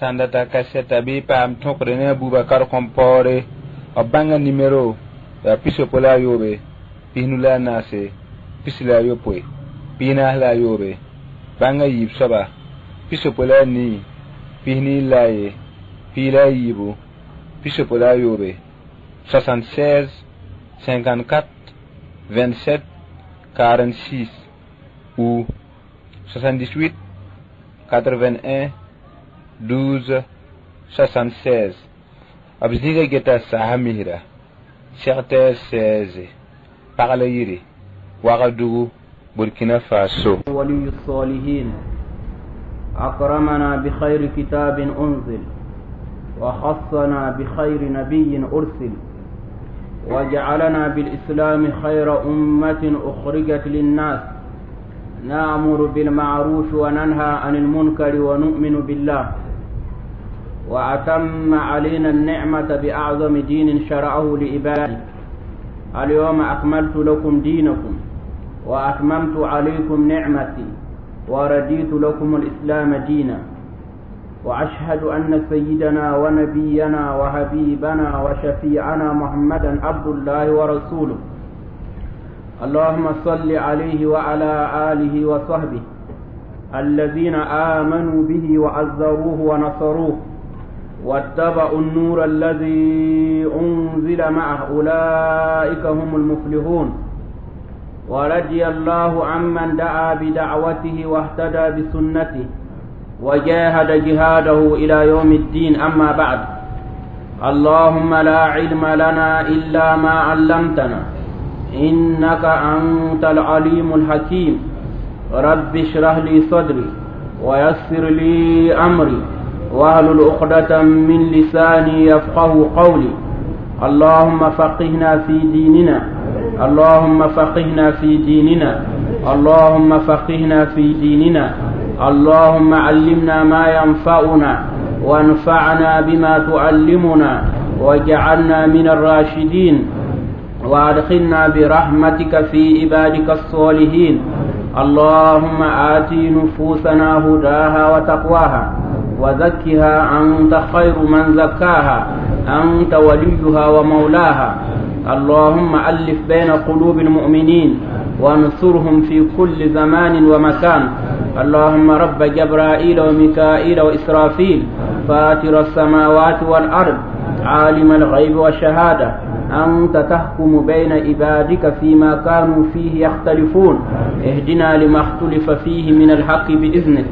Sãn data kasɛta bɩ y paam tõkre ne a Bubakar Kõmpaoore b bãnga nimero yaa 63 94 48 47. Bãnga yiib soaba 64 41 14 63 76 54 27 46 ou 78 81 12 76. B zĩiga geta saasa misra secteur 16 pagla yiri Wagadugu Burkina Faso. ولي الصالحين أكرمنا بخير كتاب أنزل وخصنا بخير نبي أرسل وجعلنا بالإسلام خير أمة أخرجت للناس نأمر بالمعروف وننهى عن المنكر ونؤمن بالله وأتم علينا النعمة بأعظم دين شرعه لعباده اليوم أكملت لكم دينكم وأتممت عليكم نعمتي ورديت لكم الإسلام دينا وأشهد أن سيدنا ونبينا وحبيبنا وشفيعنا محمدا عبد الله ورسوله اللهم صل عليه وعلى آله وصحبه الذين آمنوا به وعزروه ونصروه واتبعوا النور الذي أنزل معه أولئك هم المفلحون ورضي الله عمن دعا بدعوته واهتدى بسنته وجاهد جهاده إلى يوم الدين أما بعد اللهم لا علم لنا إلا ما علمتنا إنك أنت العليم الحكيم رب اشرح لي صدري ويسر لي أمري واهلل عقدة من لساني يفقه قولي اللهم فقهنا في ديننا اللهم فقهنا في ديننا اللهم فقهنا في ديننا اللهم علمنا ما ينفعنا وانفعنا بما تعلمنا واجعلنا من الراشدين وادخلنا برحمتك في عبادك الصالحين اللهم آت نفوسنا هداها وتقواها وزكها أنت خير من زكاها أنت وليها ومولاها اللهم ألف بين قلوب المؤمنين وانصرهم في كل زمان ومكان اللهم رب جبرائيل وميكائيل وإسرافيل فاتر السماوات والأرض عالم الغيب والشهادة أنت تحكم بين عبادك فيما كانوا فيه يختلفون اهدنا لما اختلف فيه من الحق بإذنك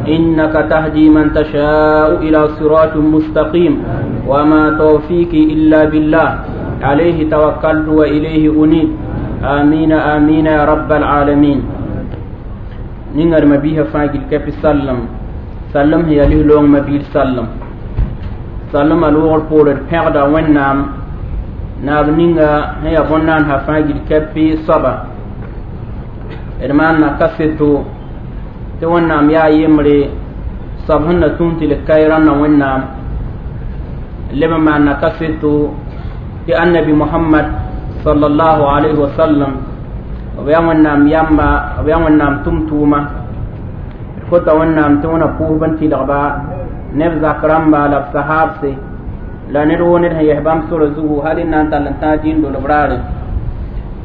إنك تهدي من تشاء إلى صراط مستقيم وما توفيقي إلا بالله عليه توكلت وإليه أنيب آمين آمين يا رب العالمين نينغر مبيها فاجل كيف سلم سلم هي له لون مبيل سلم سلم الوغر بورد بيغدا ونام naab ninga sẽn yaa bõn-naan sã fãa gil kɛpɩ soaba d maanna kaseto tɩ Wẽnnaam yaa yembre soab sẽn na tũus tɩ l kae rãndã Wẽnnaam leb n maanna kaseto tɩ annabi Mohamad sallallahu alayhi wa sallam b yaa Wẽnnaam yamba b yaa Wẽnnaam tʋm-tʋʋma d kota Wẽnnaam tɩ wẽna pʋʋsb n tɩlgba ne b zak rãmba la b sahaabse la ned woo ned sẽn yɛs bãmb sora zugu hal n na n tall n tãag dĩin dolb raare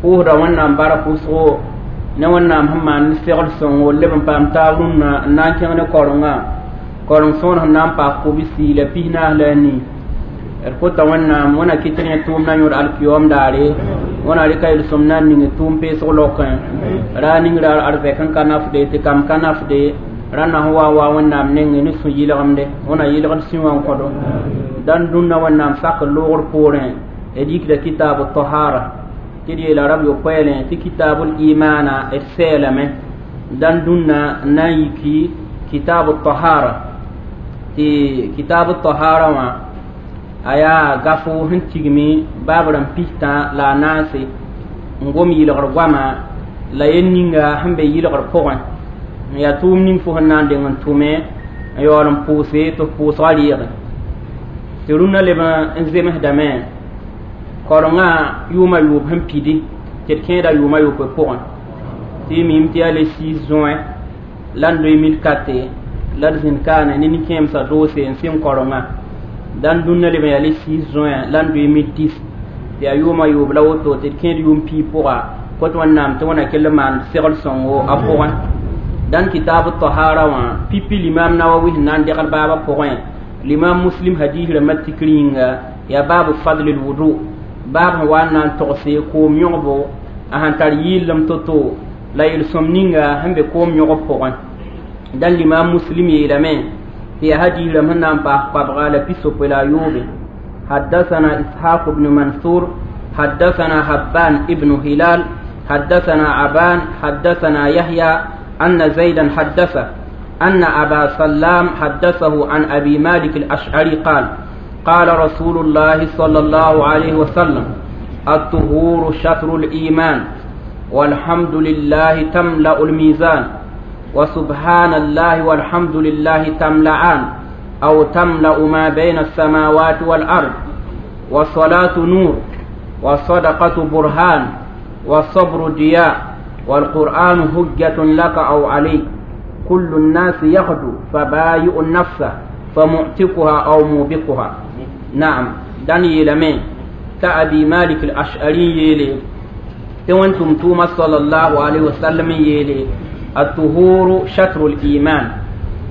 pʋʋsda Wẽnnaam bark wʋsgo ne Wẽnnaam sẽn maan ne segl sõngo leb n paam taab rũnnã n na n kẽng ne korengã koreng sõor sẽn na n paas kobsi la 44 la 4. D kota Wẽnnaam wẽna kɩt rẽ tʋʋm na yõd alkiyoom daare wẽna rɩka yel-sõm na n ning tʋʋm peesg lokẽ ra ning raar arzɛk n ka nafde tɩ kam ka nafde rãnda sẽn wa wa Wẽnnaam nengẽ ne sũ-yɩlgemde wẽna yɩlgd sũ wã n kõdo dãn dũnna Wẽnnaam sakr loogr poorẽ d yikda kitaab tahara tɩ d yeela rab yopoɛɛlẽ tɩ kitaabul imana d sɛɛlame dãn dũnna n na n yiki kitaab tahara tɩ kitaab tahara wã a yaa gafo sẽn tigmi baab rãmb pistã la a naase n gom yɩlgr goama la yel ninga sẽn be yɩlgr pʋgẽ n yaa tʋʋm ning fo sẽn na n deng n tʋme n yaool n pʋʋse tɩ f pʋʋsgã reege tɩ rũnnã leb n zemsdame korengã yʋʋma yʋʋb sẽn pidi tɩ d kẽeda yʋʋma yopoe pʋgẽ tɩ y mim tɩ yaa le 6 juin l'an 2004. La d zĩnd kaane ne nin-kẽemsã doose n sɩng korengã dãn dũnna leb n yaa le 6 juin la n 2010 tɩ yaa yʋʋmã yoob la woto tɩ d kẽed yʋʋm piig pʋga kot wẽnnaam tɩ wẽna kell n maan segl sõngo a pʋgẽ dãn kitaab tahara wã pipi limam nawawi sẽn na n degl baabã pʋgẽ limam muslim hadis rãmbã tikr yĩnga yaa baabu fadl lwudu baab sẽn wa n na n togse koom yõgbo a sẽn tar yɩllem to-to la yel-sõm ninga sẽn be koom yõgb pʋgẽ dãn limam muslim yeelame tɩ yaa hadis rãmb sẽn na n paas koabga la pisopoe la a yoobe حدثنا إسحاق بن منصور حدثنا حبان ابن هلال حدثنا عبان حدثنا يحيى أن زيدا حدثه أن أبا سلام حدثه عن أبي مالك الأشعري قال قال رسول الله صلى الله عليه وسلم الطهور شطر الإيمان والحمد لله تملأ الميزان وسبحان الله والحمد لله تملأان أو تملأ ما بين السماوات والأرض والصلاة نور والصدقة برهان والصبر ضياء والقرآن هجة لك أو عليك كل الناس يغدو فبايع النفس فمعتقها أو موبقها نعم داني لمن تأبي مالك الأشعري يلي تونتم توما صلى الله عليه وسلم يلي الطهور شطر الإيمان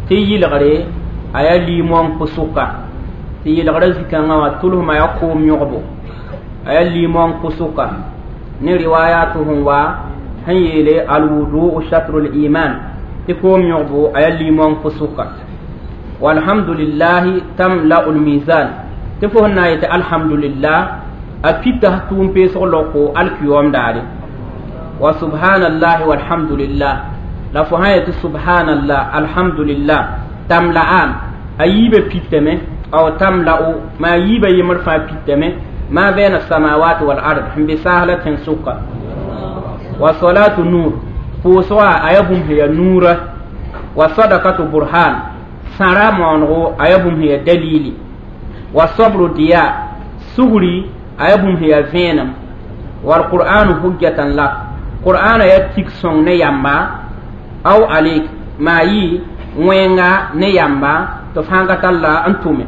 تيجي لغري أيا ليمون كسوكا تيجي لغري زكانا وطولهما يقوم يغبو أيا ليمون كسوكا ni riwayatuhum wa sẽn yeele alwudu shatru liman tɩ koom yõgbo a yaa limong pʋsʋka walhamdulillahi tamla'u lmizan tɩ fo sẽn na n yetɩ alhamdulillah a pita tʋʋm peesg loko alkiyom daare wa subhanallahi walhamdulillah la fo sã yetɩ subhanallah alhamdulillah tamla'an a yiibã pitame aw tamla'u ma a yiibã yembr fãa pitame ما بين السماوات والأرض هم بسهلة سكة وصلاة نور فوسوا أيبهم هي نور وصدقة برهان سارا مونغو أيبهم هي دليل والصبر ضياء سغري أيبهم هي فينم والقرآن حجة لك قرآن يتيك سون نياما أو عليك ما يي وينغا نياما تفهمك الله أنتم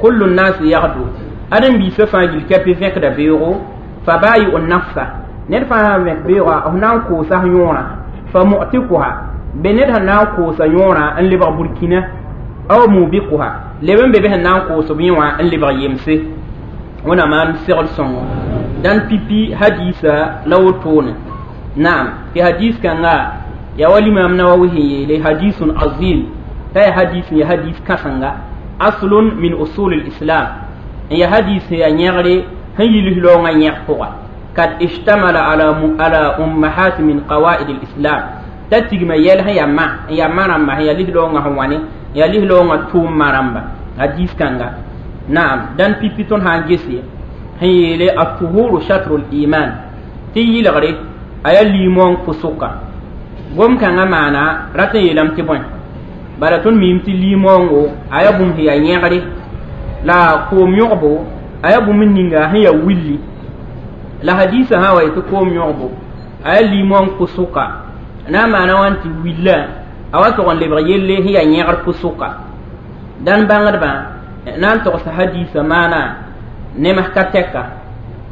كل الناس يغدو ãdem-biisã fãa gil ka pɩ vẽkda beoogo fa baayi'u nafsa ned fãa sã n vẽk beoogã f na n koosa f yõorã fa mu'tikuha be ned sẽn na n koosa yõorã n lebg burkina aw mubikuha leb n be be sẽn na n koos b yẽ wã n lebg yemse wẽna maan segl sõngo dãn pipi hadiisa la wotone naam tɩ hadis kãnga yaa wa limam nawawi sẽn yeele hadisun azim t'a yaa hadis n yaa hadis kãsenga aslun min usul lislam n yaa hadis yaa yẽgre sẽn yilis raoongã yẽg pʋga kad ishtamala ala ummahat min qawaid lislam t'a tigma yɛl sẽn yaa ma n yaa ma rãmba sẽn yaa lis-raoongã sẽn wa ne yaa lis-raoongã tʋʋm-ma rãmba hadis kãnga naam dãn pipi tõnd sã n gese sẽn yeele atuhuru shatru liman tɩ yɩlgre a yaa limong pʋsʋka gom kãngã maana rat n yeelame tɩ bõe bala tõnd miime tɩ limongo a yaa bũmb sẽn yaa yẽgre la koom yõgbo a yaa bũmb ninga sẽn yaa willi la hadisa sã wa yetɩ koom yõgbo a yaa limong pʋsʋka na n maana wãn tɩ willa a wa tog n lebg yelle sẽn yaa yẽgr pʋsʋka dãn bãngdbã na n togsa hadisa maana nems ka tɛka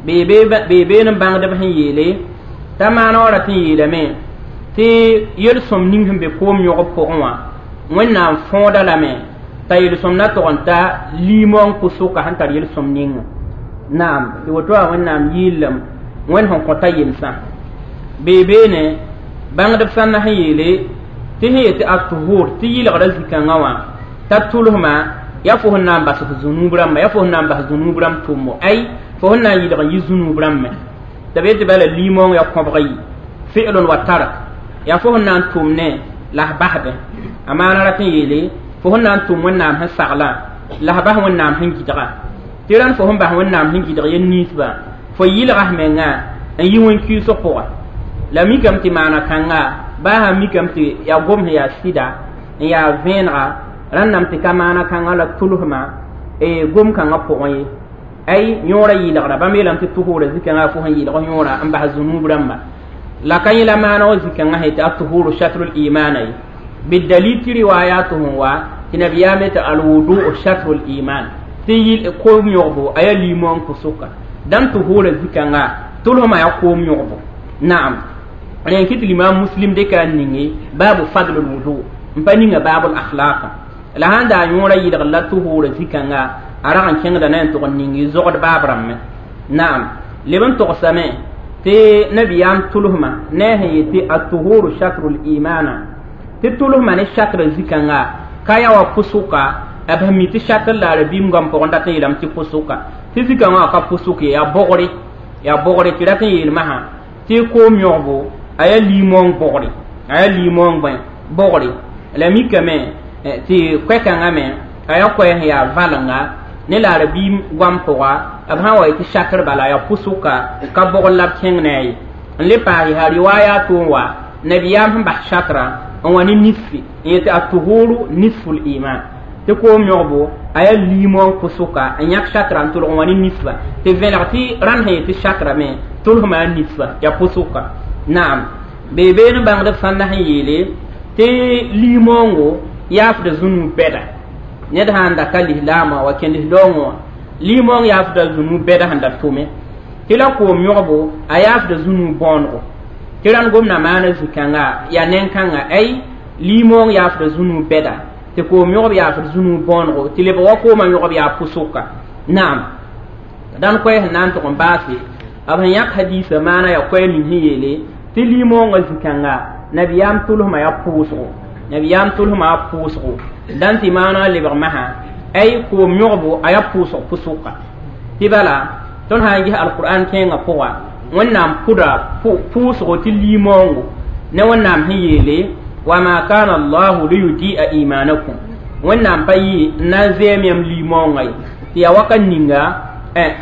bee been n bãngdb sẽn yeele t'a maana wa rat n yeelame tɩ yel-sõm ning sẽn be koom yõgb pʋgẽ wã wẽnnaam fõoda lame t'a yel-sõm na tog n ta limong pʋsʋka sẽn tar yel-sõm ninga naam tɩ woto wã wẽnnaam yɩɩllem wẽnd sẽn kõta yemsã bee beene bãngdb sãnna sẽn yeele tɩ sẽn yetɩ atuhur tɩ yɩlgrã zĩ-kãngã wã t'a tʋlsma yaa fo sẽn na n bas f zũnub rãmba yaa fo sẽn na n bas zũnub rãmb tʋmbo ay fo sẽn na n yɩlg n yi zũnub rãmbẽ t'a be tɩ bala limong yaa kõbg yi fi'lun wa tark yaa fo sẽn na n tʋm ne la f basdẽ a maana rat n yeele fo sẽn na n tʋm wẽnnaam sẽn saglã la f bas wẽnnaam sẽn gɩdga tɩ rãnd fo sẽn bas wẽnnaam sẽn gɩdg yel ninsbã fo yɩlga f menga n yi wẽn-kiisg pʋga la mikame tɩ maana kãnga baa sã mikame tɩ yaa gom sẽn yaa sɩda n yaa vẽenega rãnname tɩ ka maana kãngã la tʋlsma gom kãngã pʋgẽ ye ay yõorã yɩlgra bãmb yeelame tɩ tuhura zĩ-kãngã fo sẽn yɩlg yõorã n bas zũnub rãmba la ka yẽ la maana wã zĩ-kãngã sẽn tɩ atuhuru shatrul imana ye Bidalil tɩ riwayat sẽn wa tɩ nabiyaam tɩ alwudu shatru liman tɩ yɩl koom yõgbo a yaa limong pʋsʋka dãn tuhura zikãnga tʋlsmã yaa koom yõgbo naam rẽn kɩ tɩ limam Muslim dɩka n ninge baabu fadl lwudu n pa ninga baabul akhlaka la sãn daa yõora yɩlgr la tuhura zikãnga a rag n kẽngda na n tʋg n ning zogd baab rãmbẽ naam leb n togsame tɩ nabiyaam tʋlsmã ne a sẽn yetɩ atuhuru shatru limana tɩ tʋlsmã ne shatra zikãnga ka yaa wa pʋsʋka b sẽn mi tɩ shatr la arabiim goam pʋgẽ dat n yeelame tɩ pʋsʋka tɩ zikãngã wã ka pʋsʋk ye yaa bogre tɩ rat n yeel masã tɩ koom yõgbo a yaa limong bogre a yaa limong bõe bogre la mikame tɩ koɛ-kãngã me a yaa koɛɛ sẽn yaa valenga ne la arabiim goam pʋga b sã n wa yetɩ shatr bala yaa pʋsʋka ka bogr la b kẽng ne a ye n le paas yaa riwaya tʋʋn wa nabiyaam sẽn bas shatra n wa ne nisfi n yetɩ atuhuru nisful iman tɩ koom yõgbo a yaa limong pʋsʋka n yãk shatra n tʋlg n wa ne nisfa tɩ vẽlg tɩ rãnd sẽn yetɩ shatra me tʋlsmã a nisfa yaa pʋsʋka naam beebeen bãngdb sãnda sẽn yeele tɩ limongo yaafda zũnu bɛda ned sãn da ka lislaamã wa kẽ lislaoongẽ wã limong yaafda zũnu bɛda sẽn da tʋme tɩ la koom yõgbo a yaafda zũnu bõonego tɩ rãnd gomda maana zĩ-kãnga yaa neng-kãnga ay limong yaafda zũnu bɛda tɩ koom yõgb yaafd zũnu bõonego tɩ lebg wa koomã yõgb yaa pʋsʋka naam dãn koɛɛ sẽn na n tʋg n baase b sẽn yãk hadiisã maana yaa koɛɛ ning sẽn yeele tɩ limongã zĩ-kãnga nabiyaam tʋlsmã yaa pʋʋsgo nabiyaam tʋlsmã yaa pʋʋsgo dãn tɩ maana lebg masã ay koom yõgbo a yaa pʋʋsg pʋsʋka tɩ bala tõnd sã n ges alqur'an kẽengã pʋga wẽnnaam pʋda pʋʋsgo tɩ limongo ne wẽnnaam sẽn yeele wama kana allahu liyudia imanakum wẽnnaam pa yɩ n na n zɛɛm yãmb limongã ye tɩ yaa wakat ninga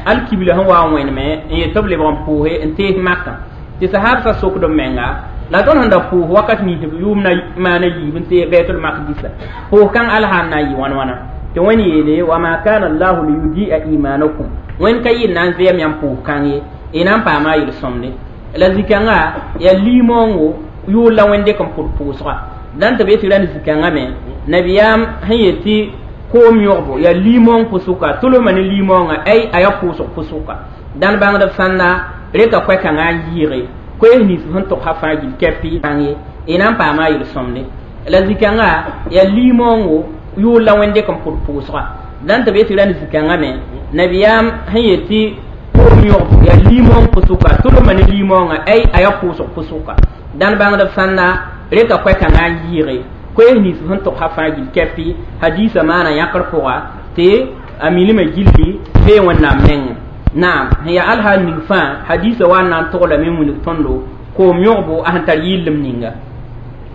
alkibla sẽn wa n wẽneme n yet tɩ b lebg n pʋʋse n tees makã tɩ sahabsã sokd b menga la tõnd sẽn da pʋʋs wakat nins b yʋʋm na maana yiib n tees bɛtl makdisa pʋʋs kãng alsã n na n yɩ wãn wãna tɩ wẽnd yeele wama kana allahu liyudia imanakum wẽnd ka yɩ n na n zɛɛm yãmb pʋʋs kãng ye y na n paama a yel-sõmde la zĩ-kãngã yaa limongo yʋʋl la wẽnd dɩk n pʋd pʋʋsga dãn tɩ b yetɩ rãnd zĩ-kãngã me nabiyaam sẽn yetɩ koom yõgbo yaa limong pʋsʋka tʋlsmã ne limongã ay a yaa pʋʋsg pʋsʋka dãn bãngdb sãnda reka koɛ-kãngã n yɩɩge koees nins sẽn togsa fãa gill kɛpɩ kãng ye y na n paama a yel-sõmde la zĩ-kãngã yaa limongo yʋʋl la wẽnd dɩk n pʋd pʋʋsga dãn tɩ b yetɩ rãnd zĩ-kãngã me nabiyaam sẽn yetɩ koom yõgbo yaa limong pʋsʋka tʋlsmã ne limongã ay a yaa pʋʋsg pʋsʋka dãn bãngdb sãnda reka koɛ-kãngã n yɩɩge koees nins sẽn togsa fãa gill kɛpɩ hadiisã maana yãkr pʋga tɩ a milmã gilli bee wẽnnaam nengẽ naam sẽn yaa alhaal ning fãa hadiisã wa n na n toglame n wilg tõndo koom yõgbo a sẽn tar yɩllem ninga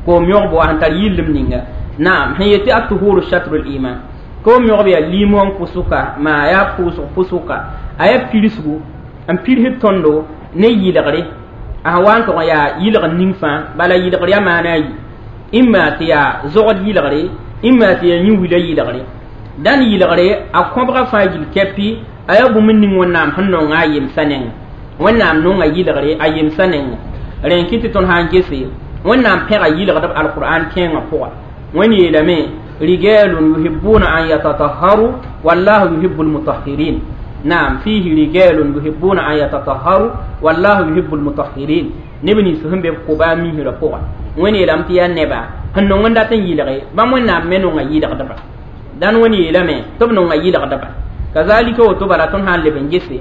koom yõgbo a sẽn tar yɩllem ninga naam sẽn yetɩ atuhuru shatru liman koom yõgb yaa limong pʋsʋka maa yaa pʋʋsg pʋsʋka a yaa pirsgu n pirsd tõndo ne yɩlgre a sẽn wa n tʋg n yaa yɩlgr ning fãa bala yɩlgr yaa maana a yi imma tɩ yaa zogd yɩlgre imma tɩ yaa yĩn-wila yɩlgre dãn yɩlgre a kõbga fãa gill kɛpɩ a yaa bũmb ning wẽnnaam sẽn nonga a yemsã nengẽ wẽnnaam nonga yɩlgre a yemsã nengẽ rẽn kɩ tɩ tõnd sã n gese wẽnnaam pẽga yɩlgdb alqur'an kẽengã pʋga wẽnd yeelame rijalun yuhibbuna an yatatahharu wallahu yuhibbu almutahhirin naam fihi rijalun yuhibbuna an yatatahharu wallahu yuhibbu almutahhirin neb nins sẽn be b koba a misrã pʋga wẽnd yeelame tɩ yaa neba sẽn nong n dat n yɩlge bãmb wẽnnaam me nonga yɩlgdba dãn wẽnd yeelame tɩ b nonga yɩlgdba kazalika woto bala tõnd sã n leb n gese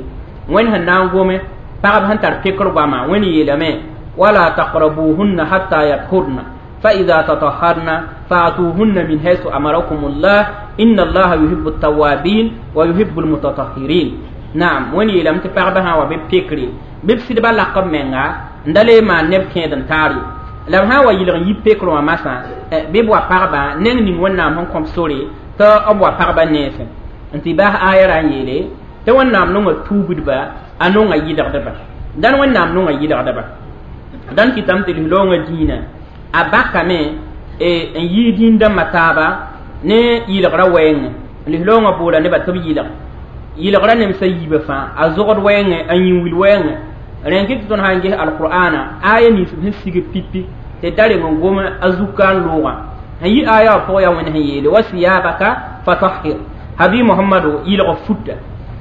wẽnd sẽn na n gome pagb sẽn tar pekr goama wẽnd yeelame wala taqrabuhunna hatta yathurna فإذا تطهرن فأتوهن من حيث أمركم الله إن الله يحب التوابين ويحب المتطهرين نعم وين يلم تفعبها وببكري ببسد بلقب منغا ndale ma neb kẽed n taar ye la b sã n wa yɩlg n yi pekr wã masã bɩ b wa pagba neng ning wẽnnaam sẽn kõp sore tɩ b wa pagba nensẽ n tɩ baas aya ra n yeele tɩ wẽnnaam nonga tuubdba a nonga yɩlgdba dãn wẽnnaam nonga yɩlgdba dãn kɩtame tɩ lislaoongã dĩinã a bakame n yɩ dĩn-dãmbã taaba ne yɩlgrã wɛɛngẽ lislaoongã boola nebã tɩ b yɩlg yɩlgrã nemsã yiibã fãa a zogd wɛɛngẽ a yĩn-wil wɛɛngẽ rẽn kɩ tɩ tõnd sã n ges alqur'ana aya nins sẽn sig pipi tɩ da reng n gom a zuka n loogã N yi aya wã pʋgã yaa Wẽnd sẽn yeele wa siyabaka fatahhir habi Muhammadu yɩlg futa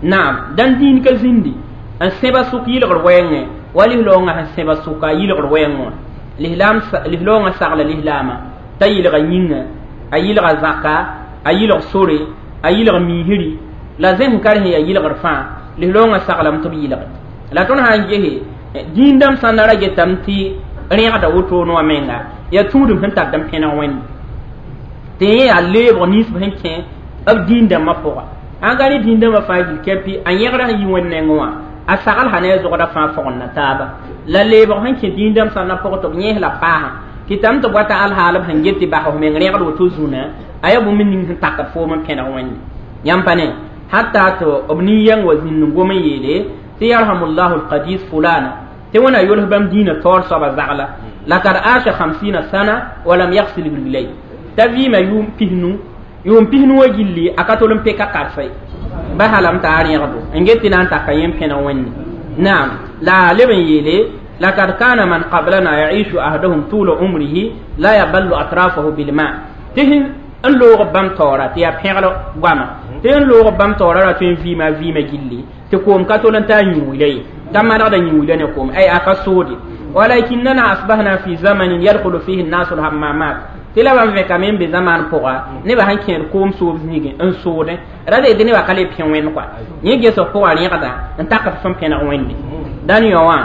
naam dãn dĩin ka zĩndi n sẽba sʋk yɩlgr wɛɛngẽ wa lislaoongã sẽn sẽba sʋka yɩlgr wɛɛng wã lislaoongã sagla lislaamã t'a yɩlga yĩnga a yɩlga zaka a yɩlg sore a yɩlg miisri la zẽsẽ ka sẽn yaa yɩlgr fãa lislaoongã saglame tɩ b yɩlge la tõnd sã n gese dĩindãmb sãn na ra getame tɩ rẽgda wotone wã menga yaa tũudum sẽn tar n pẽneg Wẽnde tɩ yẽ yaa leebg nins b sẽn kẽ b dĩindãmbã pʋga sãn ka ne dĩindãmbã fãa gil kɛpɩ a yẽgra sẽn yi Wẽnd nengẽ wã a sagl sã ne a zogda fãa fogenda taaba la leebg sẽn kẽ dĩindãmb sãn na pʋg tɩ b yẽes la paasã kɩtame tɩ b wata alhaal b sẽn get tɩ bas f meng rẽgd woto zũnã a yaa bũmb ning sẽn takd foom n pẽneg Wẽnde yãmb pa ne hatta tɩ b nin-yɛng wa zĩnd n gom n yeele tɩ yarhamullahu alqadis fulana tɩ Wẽnna yols bãmb dĩinã taoor soaba zagla lakad aasha 50 sana walam yagsil rijlay t'a vɩɩma yʋʋm pisnu wã gilli a ka tol n peka karsa ye ba halame t'a rẽgdo n get tɩ na n taka yẽ n pẽneg Wẽnde naam la leb n yeele lakad kana man qablana yaishu ahaduhum tula umrihi la yaballu atrafahu bilma tɩ n loog bãmb taoora tɩ yaa pẽgl goama tɩ n loog bãmb taoora ra tõe n vɩɩma vɩɩmã gilli tɩ koom ka tol n taa yĩwila ye t'a manegda yĩwila ne koom ay a ka soode walakinnana asbahna fi zamanin yadkhulu fihi nnasu lhammamat tɩ la bãmb vẽkame n be zamaan pʋga nebã sẽn kẽed koom soob zĩigẽ n soodẽ ra tɩ nebã ka le pẽ Wẽnd kɔa yẽ ges b pʋgã rẽgda n takd fẽn pẽneg Wẽnde dãn yõ wã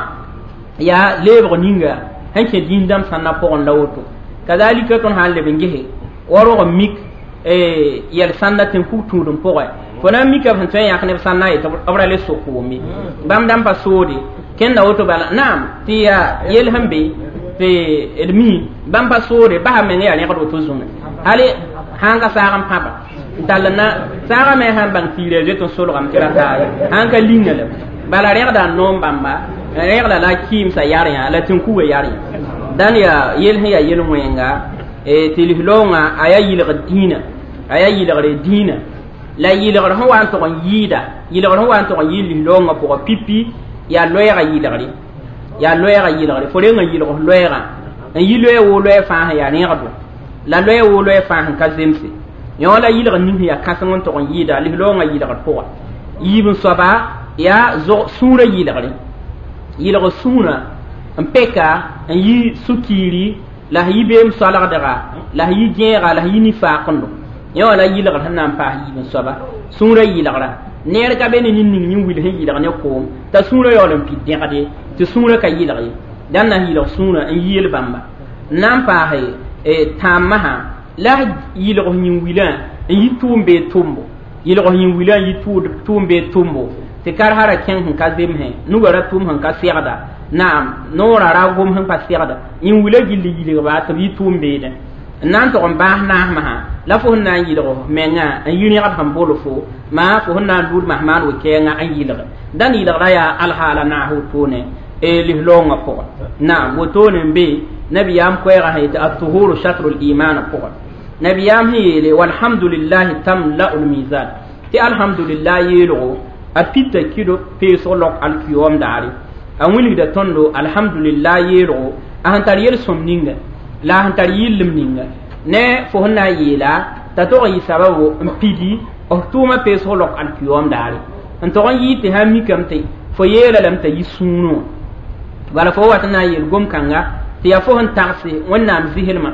yaa leebg ninga sẽn kẽ dĩindãmb sãnna pʋgẽ la woto kazalika tõnd sã n leb n gese wa rog n mik yɛl sãnda tɩ n kug tũudem pʋgẽ fo na n mika b sẽn tõe n yãk neb sãnna yetɩ b ra le sok koome bãmb dãmb pa soode kẽnda woto bala naam tɩ yaa yel sẽn be tɩ d mi bãmb pa soode basa meng yaa rẽgd woto zũnã hali sãn ka saag n pãba n tall na saagã me sãn bãng tiirã zoet n solgame tɩ ra taa sãn ka linga la bala rẽgda n noom bãmba rẽgda la kɩɩmsa yar yã la tẽn-kugã yar yã dãn yaa yel sẽn yaa yel-wẽnga tɩ lislaoongã a yaa yɩlgd dĩinã a yaa yɩlgre dĩinã la yɩlgr sẽn wa n tʋg n yɩɩda yɩlgr sẽn wa n tʋg n yɩɩ lislaoongã pʋgã pipi yaa loɛɛgã yɩlgre yaa loɛɛgã yɩlgre fo reng n yɩlg f loɛɛgã n yi loɛɛ woo loɛɛ fãa sẽn yaa rẽgdo la loɛɛ woo loɛɛ fãa sẽn ka zemse yõ la yɩlgr ning sẽn yaa kãseng n tʋg n yɩɩda lislaoongã yɩlgr pʋga yiib n soaba yaa sũurã yɩlgre yɩlg sũurã n peka n yi sũ-kiiri la sẽn yi beem soalgdga la sẽn yi gẽega la sẽn yi nifaakendo yõ la yɩlgr sẽn na n paas yiib n soaba sũurã yɩlgra neer ka be ne nin-ning yĩn wil sẽn yɩlg ne koom t'a sũurã yaool n pid dẽgde tɩ sũurã ka yɩlg ye dãn na n yɩlg sũurã n yeel bãmba n na n paase tãambã la yɩlg yĩn-wilã n yi tʋʋm bee tʋmbo yɩlg yĩn-wilã n yi tʋʋm bee tʋmbo tɩ karsa ra kẽng sẽn ka zemsẽ nugã ra tʋʋm sẽn ka segda naam noorã ra gom sẽn pa segda yĩn-wilã gilli yɩlgba tɩ b yi tʋʋm beedẽ n na n tʋg n baas naasmã la fo sẽn na n yɩlg f mengã n yi rẽgd sẽn bol fo maa fo sẽn na n luud masmaan we-kɛɛngã n yɩlge dãn yɩlgra yaa alhaala naas wotone lislaoongã pʋgã naam wotone n be nabiyaam koɛɛgã sẽn yetɩ atuhuru shatru liman pʋgã nabiyaam sẽn yeele walhamdulillahi tamla'u lmizan tɩ alhamdulillah yeelgo a pita kɩdo peesg lok alkiyoom daare a wilgda tõndo alhamdulillah yeelgo a sẽn tar yel-sõm ninga la a sẽn tar yɩllem ninga ne fo sẽn na n yeela t'a tog n yɩ sababu n pidi f tʋʋmã peesg lok alkiyoom daare n tog n yɩɩ tɩ sãn mikame tɩ fo yeela lame t'a yi sũurẽ wã bala fo wat n na n yeel gom-kãnga tɩ yaa fo sẽn tagse Wẽnnaam zislmã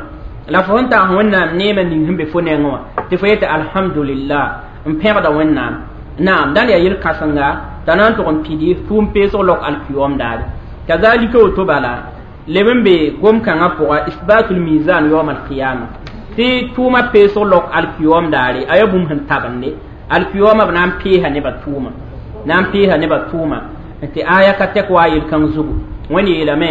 la fo sẽn tags Wẽnnaam neemã ning sẽn be fo nengẽ wã tɩ fo yetɩ alhamdulillah n pẽgda Wẽnnaam naam dãn yaa yel-kãsenga t'a na n tʋg n pidi tʋʋm peesg lok alkiyoom daare kazalika woto bala leb n be gom-kãngã pʋga isbatul mizan yaoom alqiyama tɩ tʋʋmã peesg lok alkiyoom daare a yaa bũmb sẽn tabende alkiyoomã b na n peesa nebã tʋʋma na n peesa nebã tʋʋma tɩ aya ka tɛk wa yel-kãng zugu Wẽnd yeelame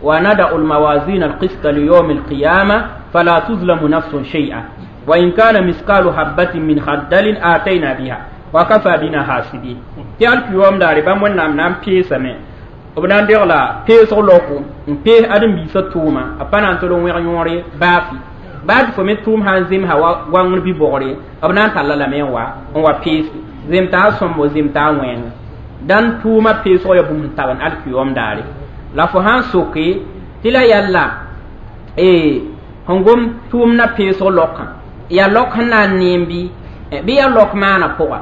wa nada'u lmawazin alqista liyawm alqiyama fala tuzlamu nafsun shay'a wa in kana miskalu habatin min khardalin atayna biha wa kafa bina hasibin tɩ alkiyoom daare bãmb Wẽnnaam na n peesame b na n degla peesg loko n pees ãdem-biisã tʋʋma a pa na n tol n wẽg yõore baafi baa tɩ fo me tʋʋm sã n zemsa wa goangr bi-bogre b na n talla lame n wa peese zem t'a sõmbo zem t'a wẽnga dãn tʋʋmã peesg yaa bũmb sẽn tabend alkiyoom daare la fo sã n soke tɩ la yalla Sẽn gom tʋʋmdã peesg lokã yaa lok sẽn na n neem bɩ bɩ yaa lok maana pʋga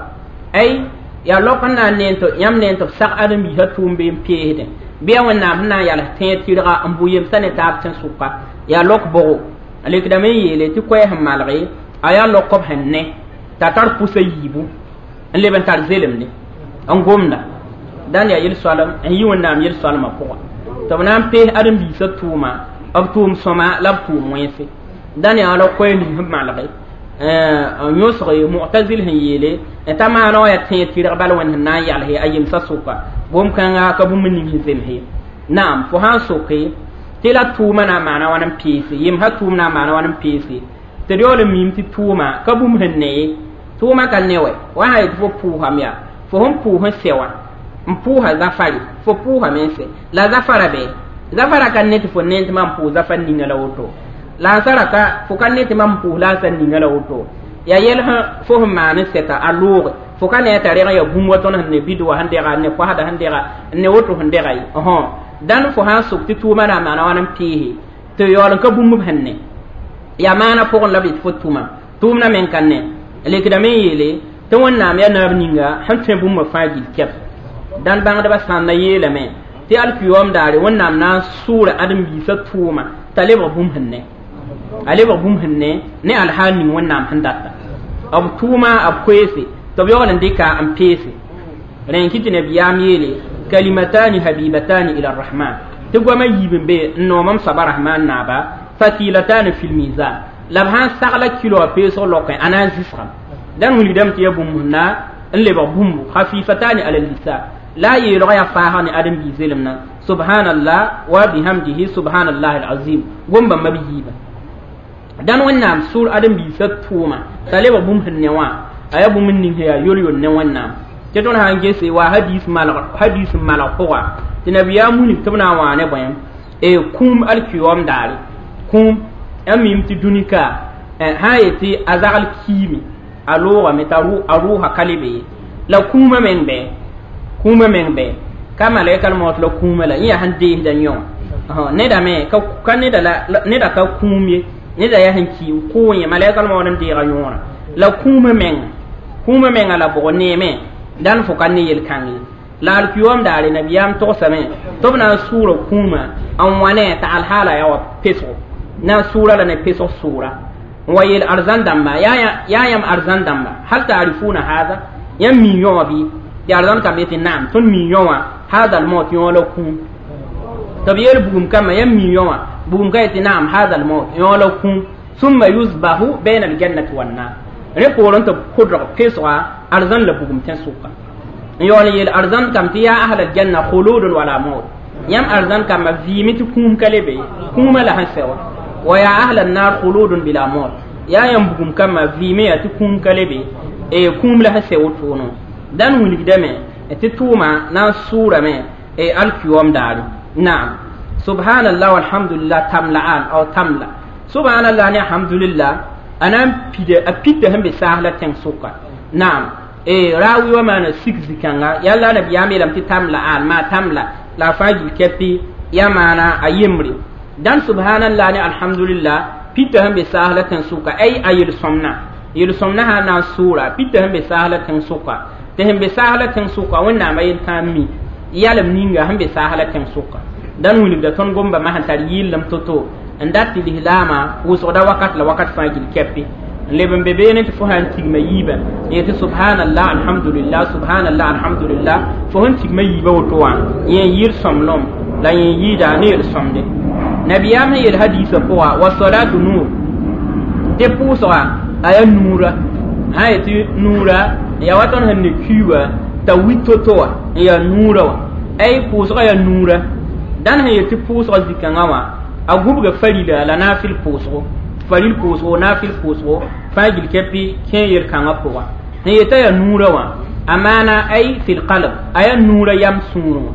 ay yaa lok sẽn na n neen tɩ yãmb neen tɩ b sag ãdem-biisã tʋʋm bee n peesdẽ bɩ yaa Wẽnnaam sẽn na n yals tẽeg tɩrga n bʋ yemsã ne taab tẽn-sʋka yaa lok bʋgo a lekdame n yeele tɩ koɛɛ sẽn malge a yaa lok b sẽn ne t'a tar pʋsa yiibu n leb n tar zelemde n gomda dãn yaa yel-soalem n yi Wẽnnaam yel-soalmã pʋga tɩ b na n pees ãdem-biisã tʋʋma b tʋʋm sõma la b tʋʋm wẽnse dãn yaa la koɛɛ ning sẽn malge n yõsg mu'tazil sẽn yeele t'a maana wã yaa tẽeg tɩrg bal Wẽnd sẽn na n yalse a yemsã sʋka bũmb-kãnga ka bũmb ning sẽn zemse naam fo sã n soke tɩ la tʋʋma na n maana wãn n peese yemsã tʋʋm na n maana wãn n peese tɩ d yaool n miim tɩ tʋʋma ka bũmb sẽn ne ye tʋʋma ka ne wɛ wa sã yetɩ fo pʋʋsame yaa fo sẽn pʋʋs n sɛ wã n pʋʋsa zafare fo pʋʋsame n sɛ la zafara bɛ zafara ka ne tɩ fo neen tɩ mam pʋʋs zafar ninga la woto la ansara ka fo ka ne tɩ mam pʋʋs la ansar ninga la woto yaa yɛl fo sẽn maan n sɛta a looge fo ka ne t'a reg n yaa bũmb wa tõnd sẽn ne bid wa sẽn dɛga ne koasda sẽn dɛga ne woto sẽn dɛga ye dãn fo sã n sok tɩ tʋʋma na n maana wãn n peese tɩ yaool n ka bũmb sẽn ne yaa maana pʋgẽ la b yetɩ fo tʋma tʋʋmdã meng ka ne lekdame n yeele tɩ Wẽnnaam yaa naab ninga sẽn tõe bũmba fãa gill kɛb dãn bãngdbã sãnda yeelame tɩ alkiyoom daare Wẽnnaam na n sʋʋra ãdem-biisã tʋʋma t'a lebg bũmb sẽn ne a lebg bũmb sẽn ne ne alhaal ning Wẽnnaam sẽn data b tʋʋma b koeese tɩ b yaool n dɩka n peese rẽn kɩ tɩ nabiyaam yeele kalimatani habibatani ila rahman tɩ goamã yiib n be n noom m soaba rahman naaba thaqilatani fi lmizan la b sãn sagla kilo a peesg lokẽ a na n zɩsgame dãn wilgdame tɩ yaa bũmb sẽn na n lebg bũmbu khafifatani ala lisan la a yeelgã yaa faasg ne ãdem-biis zelemdã subhanallah wa bihamdihi subhanallah alazim gom bãmba b yiibã dãn Wẽnnaam sʋʋr ãdem-biisã tʋʋma t'a lebg bũmb sẽn ne wã a yaa bũmb ning sẽn yaa yol-yol ne Wẽnnaam tɩ tõnd sã n gese wa hadis n malg pʋga tɩ nabiyaam wilg tɩ b na n wã ne bõe kũum alkiyoom daare kũum a mim tɩ dũni ka sã n yetɩ a zagl kiime a loogame t'a rʋʋsa ka le be ye la kũumã meng bɛ kũumã meng bɛ ka malɛkal maot la kũumã la yẽ yaa sẽn deesda yõ wã neda me ka neda ka kũum ye neda yaa sẽn ki n kʋʋ yẽ malɛkal maood n deega yõorã la kũumã menga la bʋg neeme dãn fo ka ne yel-kãng ye la alkiyoom daare nabiyaam togsame tɩ b na n sʋʋra kũumã n wa ne t'a alhaala yaa wa pesgo na n sʋʋra la ne pesg sʋʋra n wa yeel arzãn dãmba yaa yãmb arzãn dãmba hal taarifuna haada yãmb mii yõ wã bɩ tɩ arzãn kamba yetɩ naam tõnd mii yõ wã haada almaut yõ la kũum tɩ b yeel bugum kambã yãmb mii yõ wã bugum ka yetɩ naam haada almaut yõ la kũum summa yusbahu baina aljannati wannar rẽ poorẽ tɩ b kʋdg pesga arzãn la bugum tẽn-sʋka n yaool n yeel arzãn kam tɩ yaa ahl aljanna khuludun wala maut yãmb arzãn kambã vɩɩme tɩ kũum ka le be kũumã la sẽn sɛ wã wa ya ahl annar khuludun bila maut yaa yãmb bugum kambã vɩɩme yaa tɩ kũum ka le be kũum la sẽn sɛ wotoono dãn wilgdame tɩ tʋʋma na n sʋʋrame alkiyoom daare naam subhanallah walhamdulillah tamla'an aw tamla subhanallah ne alhamdulillah a na n pida a pita sẽn be saasla tẽng-sʋka naam raawi wa maana sik zikãnga yaa la nabiyaam yeelame tɩ tamla'an maa tamla la a fãa gil kɛpɩ yaa maana a yembre dãn subhanallah ne alhamdulillah pita sẽn be saasla tẽng-sʋka ay a yel-sõmna yel-sõmna sã n na n sʋʋra pita sẽn be saasla tẽng-sʋka tɩ sẽn be saasla tẽng-sʋka Wẽnnaam a yel-tãa n mi yalem ninga sẽn be saasla tẽng-sʋka dãn wilgda tõnd gomba ma sẽn tar yɩllem to-to n dat tɩ lislaamã wʋsgda wakat la wakat fãa gil kɛpɩ n leb n be beene tɩ fo sã n tigma yiibã n yetɩ subhanallah alhamdulillah subhanallah alhamdulillah fo sẽn tigma yiibã woto wã yẽ n yɩɩd sõmblem la yẽ n yɩɩda ne yel-sõmde nabiyaam sẽn yeel hadiisã pʋga wa salatu nur tɩ pʋʋsga a yaa nuura sã n yetɩ nuura yaa wa tõnd sẽn ne kiuga t'a wi to-to wã n yaa nuurã wã ay pʋʋsga yaa nuura dãn sẽn yetɩ pʋʋsga zĩ-kãngã wã a gubga farila la naafɩl pʋʋsgo faril pʋʋsgo naafɩl pʋʋsgo fãa gil kɛpɩ kẽ yel-kãngã pʋga sẽn yetã yaa nuurã wã a maana ay fil qalb a yaa nuurã yam sũurẽ wã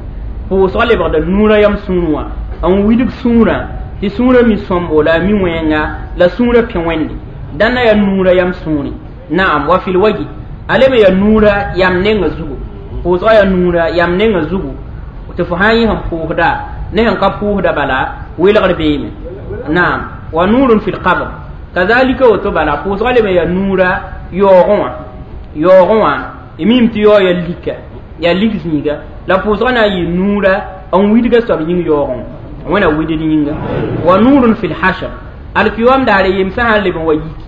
pʋʋsga lebgda nuurã yam sũurẽ wã n wilg sũurã tɩ sũurã mi sõmbo la a mi wẽnga la sũurã pẽ wẽnde dãnna yaa nuurã yam sũurẽ naam wa fil waji a leb yaa nuurã yam nengã zugu pʋʋsga yaa nuurã yam nengã zugu tɩ fo sã n yẽ sẽn pʋʋsda ne sẽn ka pʋʋsda bala welgr beeme naam Wa nurun fil qabr kazalika woto bala pʋʋsgã leb n yaa nuura yaoogẽ wã yaoogẽ wã y mim tɩ yaoo ya lika yaa lik zĩiga la pʋʋsgã na n yɩ nuura n widga soab yĩng yaoogẽ wã wẽna widd yĩnga wa nurun fil hashr alkiyom daare yemsã sã n leb n wa yiki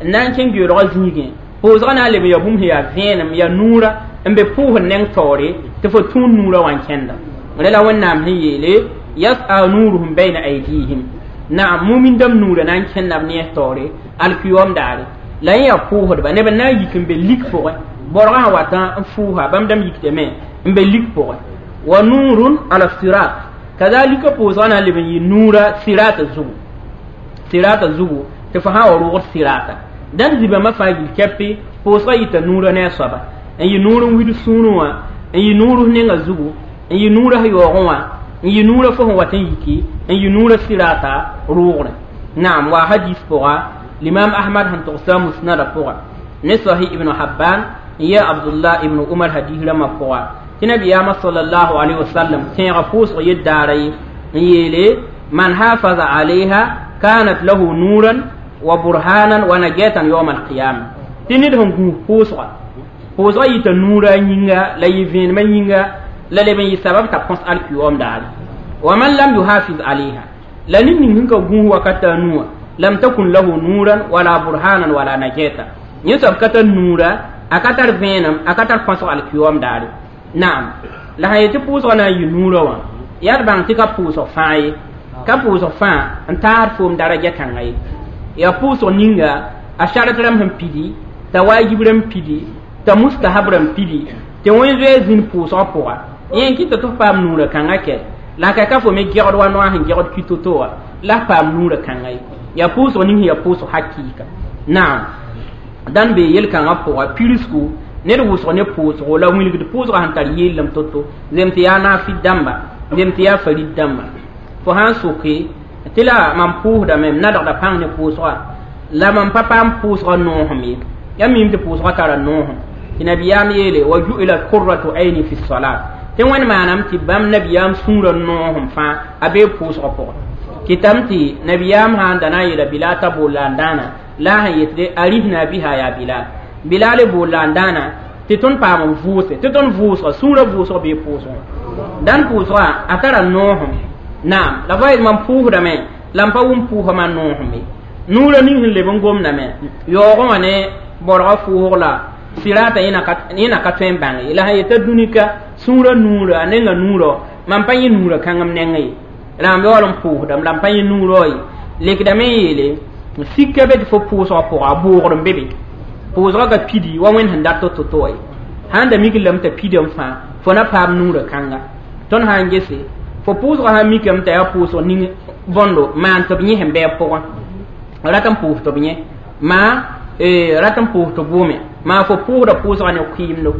n na n kẽng geoolgã zĩigẽ pʋʋsgã na n leb n yaa bũmb sẽn yaa vẽenem yaa nuura n be pʋʋsd neng taoore tɩ fo tũud nuurã wã n kẽnda rẽ la wẽnnaam sẽn yeele yas'a nuruhum bayna aydihim naam mumin dãmb nuurã na n kẽnda b nees taoore alkiyom daare la yẽ yaa pʋʋsdba neb n na n yik n be lik pʋgẽ borgã sã wat n fʋʋsa bãmb dãmb yikdame n be lik pʋgẽ wa nurun ala sirat kazalika pʋʋsgã na n leb n yɩ nuura sirata zugu sirata zugu tɩ fo sã wa rʋgd sirata dãn zibãmbã fãa gil kɛpe pʋʋsgã yita nuurã ne a soaba n yɩ nuur n wid sũurẽ wã n yɩ nuur nenga zugu n yɩ nuurã yaoogẽ wã n yɩ nuurã fo sẽn wat n yiki n yɩ nuurã sirata rʋʋgrẽ naam wa hadis pʋga l'imam ahmad sẽn togsa musnada pʋga ne sahih ibn habban n yɛ abdullah ibn umar hadis rãmbã pʋga tɩ nabiyaamã sallallahu alaihi wasallam tẽega pʋʋsg yel-daara ye n yeele man hafaza alayha kanat lahu nuran wa burhanan wa najatan yawm alqiyama tɩ ned sẽn gũus pʋʋsga pʋʋsga yita nuura yĩnga la yɩ vẽenemã yĩnga la leb n yɩ sabab t'a põs alkiyom daare wa man lam yuhafiz alayha la ned ning sẽn ka gũus wakata a nuwã lam takun lahu nuran wala burhanan wala najata yẽ soab ka tar nuura a ka tar vẽenem a ka tar põsg alkiyom daare naam la sã yetɩ pʋʋsgã na n yɩ nuurã wã yaa d bãng tɩ ka pʋʋsg fãa ye ka pʋʋsg fãa n taasd foom daraja kãnga ye yaa pʋʋsg ninga a sharat rãmb sẽn pidi t'a wajib rãmb pidi t'a mustahab rãmb pidi tɩ wẽn zoe zĩnd pʋʋsgã pʋga yẽ n kɩta tɩ f paam nuurã kãngã kɛ la ka ka fo me gɛgd wa noa sẽn gɛgd ki to-to wã la f paam nuurã kãnga ye yaa pʋʋsg ning sẽn yaa pʋʋsg hakɩɩka naam dãn bee yel-kãngã pʋga pirsku ned wʋsg ne pʋʋsgo la wilgd pʋʋsgã sẽn tar yeellem to-to zem tɩ yaa naafɩd dãmba zem tɩ yaa farid dãmba fo sã n soke tɩ la mam pʋʋsdame m nadgda pãng ne pʋʋsga la mam pa paam pʋʋsgã noosem ye yaa mim tɩ pʋʋsgã tara noosem tɩ nabiyaam yeele wa ju'ilat qurratu ayni fi salat tɩ wẽnd maanam tɩ bãmb nabiyaam sũurã noosem fãa a bee pʋʋsgã pʋgẽ kɩtame tɩ nabiyaam sã n da na n yeela bilal t'a bool la n dãana la a sẽn yetɩ arihna biha yaa bilal bilal bool la n dãana tɩ tõnd paam n vʋʋse tɩ tõnd vʋʋsga sũurã vʋʋsg bee pʋʋsgẽ dãn pʋʋsga a tara noosem naam la va mam pʋʋsdame la m pa wʋm pʋʋsga ma noosem ye nuurã ning sẽn leb n gomdame yaoogẽ wã ne borgã fʋʋsg la sirata yẽna ka tõe n bãng ye la sã yeta dũnika sũurã nuurã a nenga nuurã mam pa yẽ nuurã kãng m neng ye la m yaool n pʋʋsdame la m pa yẽ nuurã ye lekdame n yeele sika be tɩ fo pʋʋsgã pʋga a boogr n be be pʋʋsgã ka pidi wa wẽnd sẽn dat to-to-to ye sãn da mik lame t'a pidame fãa fo na paam nuurã kãnga tõnd sã n gese fo pʋʋsgã sã mikame t'a yaa pʋʋsg ning bõndo maan tɩ b yẽ sẽn bɩ a pʋgẽ rat n pʋʋs tɩ b yẽ maa rat n pʋʋs tɩ bʋʋme maa fo pʋʋsda pʋʋsgã ne kɩɩmdo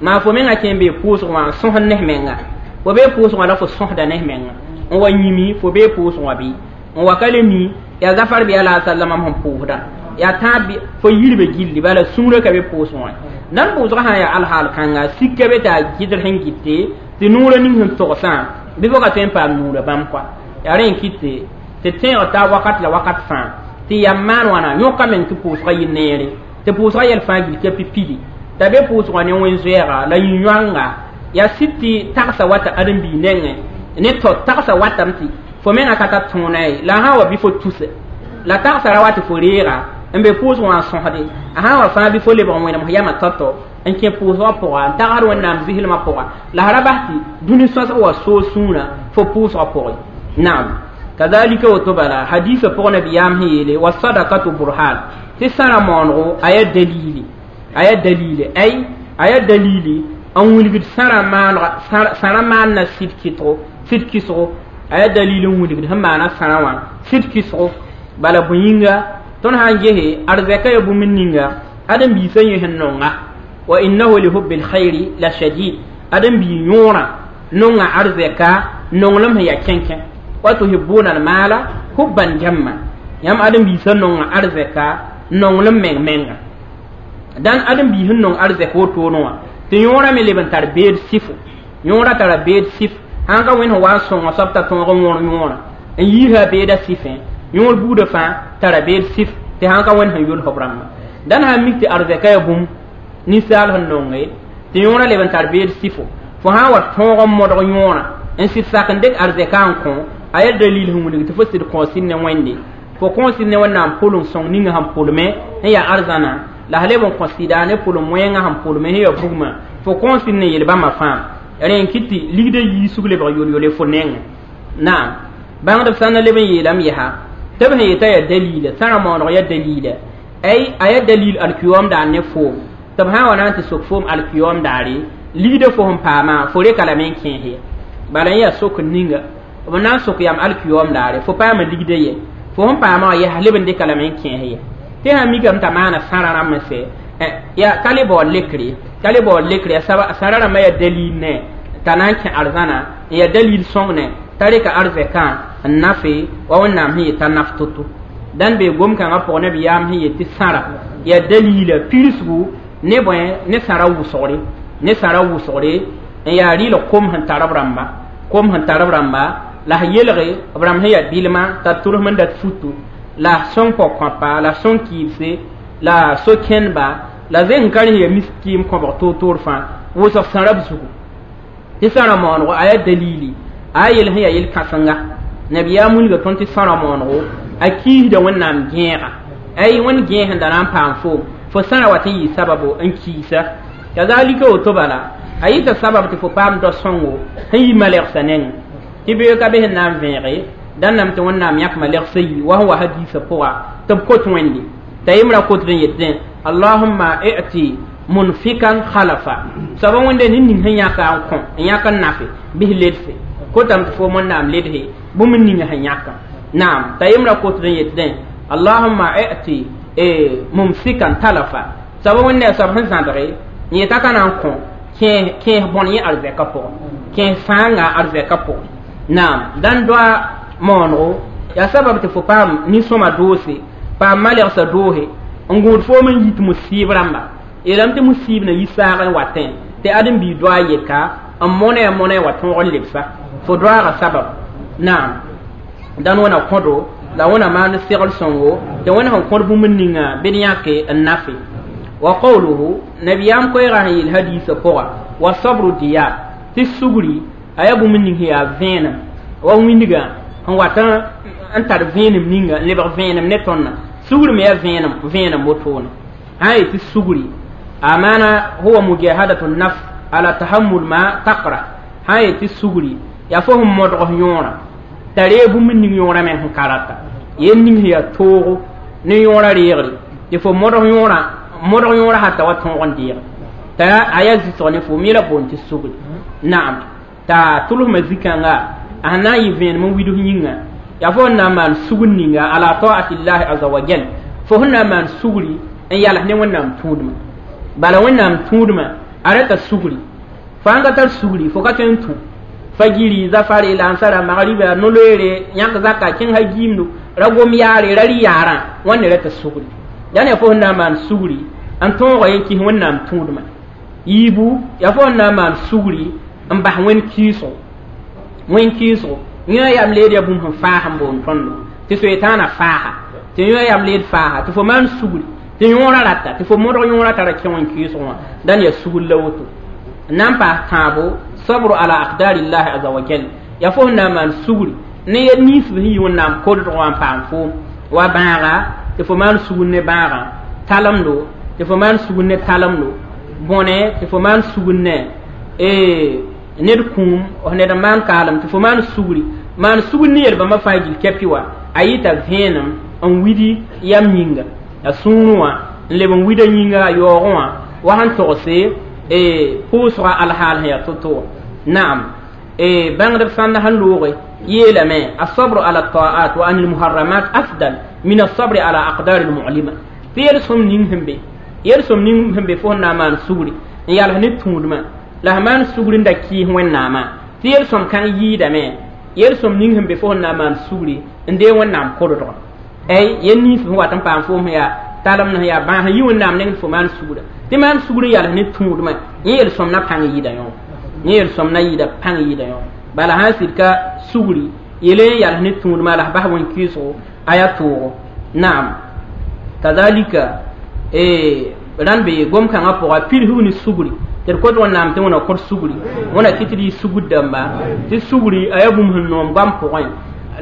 maa fo mengã kẽ n bee pʋʋsg wã n sõsd ne menga fo bee pʋʋsg wã la fo sõsda ne menga n wa yĩmi fo bee pʋʋsg wã bɩ n wa ka le mi yaa zafar bɩ ala sallama sẽn pʋʋsda yaa tãab fo yirbe gilli bala sũurã ka be pʋʋsg wã nan pʋʋsgã sã n yaa alhaal kãnga sika be t'a gɩdr sẽn gɩte tɩ nuurã ning sẽn togsã bɩ fo ka tõe n paam nuurã bãmb kɔa yaa rẽ n kɩte tɩ tẽeg taa wakat la wakat fãa tɩ yam maan wãna yõka meng tɩ pʋʋsgã yɩ neere tɩ pʋʋsgã yɛl fãa gil ka pidi t'a be pʋʋsgã ne wẽn-zoɛɛga la yĩ-yõanga yaa sɩd tɩ tagsa wata ãdem-biig nengẽ ne tao tagsa watame tɩ fo mengã ka tar tõona ye la sã n wa bɩ fo tuse la tagsa ra wa tɩ fo reega n be pʋʋsg wã n sõsde a sã n wa fãa bɩ fo lebg n wẽnem yamã tao-tao n kẽ pʋʋsgã pʋga n tagsd wẽnnaam zislmã pʋga la ra bas tɩ dũni sõsg wa soog sũurã fo pʋʋsgã pʋgẽ naam kazalika woto bala hadisa pʋg nabiyaam sẽn yeele wa sadakatu burhan tɩ sãra moonego a yaa dalili a yaa dalili ay a yaa dalili n wilgd sãra maanna sɩd kɩtgo sɩd kɩsgo a yaa dalili n wilgd sẽn maana sãra wã sɩd kɩsgo bala bõe yĩnga tõnd sã n gese arzɛka yaa bũmb ninga ãdem-biisã yẽ sẽn nonga wa innahu lihubbi lkhairi la shadid ãdem-bii yõorã nonga arzɛka nonglem sẽn yaa kẽnkẽ wa tuhibbuna almala hubban jamma yãmb ãdem-biisã nonga arzɛka nonglem meng menga dãn ãdem-biis sẽn nong arzɛk wotone wã tɩ yõorã me leb n tar beed sɩfo yõorã tara beed sɩf sãn ka wẽnd sẽn wa n sõnga soab t'a tõog n wõr yõorã n yiisa beeda sɩfẽ Yõor buudã fãa tara beel sɩf tɩ sãn ka wẽnd sẽn yʋls b rãmbã dãn sã n mik tɩ arzɛka yaa bũmb ninsaal sẽn nonge tɩ yõorã leb n tar beel sɩfo fo sã n wa tõog n modg yõorã n sɩd sak n dɩk arzɛka n kõ a yaa dalil sẽn wilg tɩ fo sɩd kõo sɩd ne Wẽnde fo kõo sɩd ne Wẽnnaam pʋlem sõng ninga sẽn pʋlme sẽn yaa arzãna la s leb n kõ sɩda ne pʋlem wẽngã sẽn pʋlme sẽn yaa bugmã fo kõo sɩd ne yel-bãmbã fãa rẽ n kɩt tɩ ligdã yiisg lebg yol-yole fo nengẽ naam bãngdb sã n leb n yeelame yaa tɩ b sẽn yetã yaa dalila sãra maooneg yaa dalila ay a yaa dalil alkiyom daar ne foom tɩ b sã n wa na n tɩ sok foom alkiyom daare ligdã fo sẽn paamã fo reka lame n kẽes ye bala n yaa sok ninga b na n sok yam alkiyom daare fo paama ligdã ye fo sẽn paamã wã yaa leb n dɩka lame n kẽes ye tɩ sã mikame t'a maana sãra rãmb n sɛ yaa ka le baood lekre ka le baood lekre sãra rãmbã yaa dalil ne t'a na n kẽ arzãna n yaa dalil sõng ne t'a reka arzɛkã n nafe wa Wẽnnaam sẽn yetã naf to-to dãn bee gom-kãngã pʋg nabiyaam sẽn yet tɩ sãra yaa dalila pirsgu ne bõe ne sãra wʋsgre ne sãra wʋsgre n yaa rɩɩlg kom sẽn tar b rãmba kom sẽn tar b rãmba la s yelge b rãmb sẽn yaa bilma t'a tʋrsem n dat futu la sõng pɔg-kõapa la sõng kɩɩbse la so-kẽndba la zeng ka rẽ yaa miskiim kõbg toor-toor fãa wʋsg sãra b zugu tɩ sãra maonego a yaa dalili a yel sẽn yaa yel-kãsenga nabiyaam wilga tõnd tɩ sãra maonego a kiisda Wẽnnaam gẽega ay wẽnd gẽes sẽn da na n paam foom fo sãra wat n yɩ sababo n kiisa kazalika woto bala a yɩta sabab tɩ fo paam dao sõngo sẽn yi malɛgsa nengẽ tɩ beoog ka be sẽn na n vẽege dãn tɩ Wẽnnaam yãk malɛgsa yi wa sẽn wa hadiisã pʋga tɩ b kot Wẽnde t'a yembrã kotd n yetẽ allahumma i'ti munfikan khalafa soaba Wẽnde ned ning sẽn yãka n kõ n yãk n nafe bɩs ledse kotame tɩ foom Wẽnnaam ledse bũmb ninga sẽn yãka naam t'a yembrã kotd n yetẽ allahumma i'ti mumsikan talafa soaba Wẽnde yaa soab sẽn zãbge n yeta ka na n kõ kẽes bõn yẽ arzɛka pʋgẽ kẽes sãanga arzɛka pʋgẽ naam dãn doa maonego yaa sabab tɩ fo paam nin-sõma doose paam malɛgsa doose n gũud foom n yit musiib rãmba yeelame tɩ musiib na yi saag n watẽ tɩ ãdem-biig doa yeka n mõne mõne wa tõog n lebsa fo doaaga sabab naam dãn wẽna kõdo la wẽna maan segl sõngo tɩ wẽnd sẽn kõd bũmb ninga bɩ d yãke n nafe wa qawluhu nabiyaam koɛɛgã sẽn yeel hadiisã pʋga wa sabru diya tɩ sugri a yaa bũmb ning sẽn yaa vẽenem wa wĩndgã n wat n tar vẽenem ninga n lebg vẽenem ne tõndã sugri me yaa vẽenem vẽenem wotone sã n yetɩ sugri a maana huwa mujahadatu nafs ala tahammul ma taqra sã n yetɩ sugri yaa fo sẽn modg yõorã t'a ree bũmb ning yõorã me sẽn ka rata yel ning sẽn yaa toogo ne yõorã reegre tɩ fo modg yõorã modg yõorã sã ta wa tõog n deege t'a a yaa zɩsg ne fo me la boond tɩ sugri naam t'a tʋlsmã zĩ-kãnga a sẽn na n yɩ vẽenem n wids yĩnga yaa fo sẽn na n maan sugr ninga ala taatillahi aza wa jal fo sẽn na n maan sugri n yals ne Wẽnnaam tũudmã bala Wẽnnaam tũudmã a rata sugri fo sãn ka tar sugri fo ka tõe n tũ fajiri zafare lansara magriba no-loeere yãk zaka kẽng ha giimdo ra gom yaare ra rɩ yaarã wãnde rata sugri dãn yaa fo sẽn na n maan sugri n tõoga yen kis Wẽnnaam tũudmã yiibu yaa fo sẽn na n maan sugri n bas wẽnd kɩɩsgo wẽnd kɩɩsgo yẽ yam leed yaa bũmb sẽn faas n boond tõndo tɩ soetãana faaha tɩ yẽ yam leed faaha tɩ fo maan sugri tɩ yõorã rata tɩ fo modg yõorã tara kẽ wẽn kɩɩsg wã dãn yaa sugr la woto n na n paas tãabo sabru ala aqdarillahi aza wa jal yaa fo sẽn na n maan sugri ne yel ninsb sẽn yi Wẽnnaam kodg wã n paam foom wa bãaga tɩ fo maan sugr ne bãagã talemdo tɩ fo maan sugr ne talemdo bõne tɩ fo maan sugr ne ned kũum ned n maan kaalem tɩ fo maan sugri maan sugr ne yel-bãmbã fãa gil kɛpɩ wa a yɩta vẽenem n widi yam yĩnga a sũurẽ wã n leb n wida yĩnga a yaoogẽ wã wa sẽn togse pʋʋsga alhaal sẽn yaa to-to wã naam bãngdb sãnd sẽn looge yeelame asabru ala taat wa anil muharramat afdal min asabri ala aqdar almu'lima tɩ yel-sõm ning sẽn be yel-sõm ning sẽn be fo sẽn na n maan sugri n yals ne tũudmã la sẽn maan sugri n da kɩɩs Wẽnnaamã tɩ yel-sõm kãng yɩɩdame yel-sõm ning sẽn be fo sẽn na n maan sugri n dee Wẽnnaam kodgã ay yel nins sẽn wat n paam foom sẽn yaa talemd sẽn yaa bãas n yi Wẽnnaam neng tɩ fo maan sugra tɩ maan sugr n yals ne tũudmã yẽ yel-sõm na pãng yɩɩda yõ yẽ yel-sõm na yɩɩda pãng yɩɩda yõ bala sãn sɩd ka sugri yele yal ne tũudmã la bas wẽn-kɩɩsgo a yaa toogo naam kazalika rãn be gom-kãngã pʋga pidsg ne sugri tɩ d kot wẽnnaam tɩ wẽna kõt sugri wẽna kɩ tɩ d yɩ sugr dãmba tɩ sugri a yaa bũmb sẽn noom goam pʋgẽ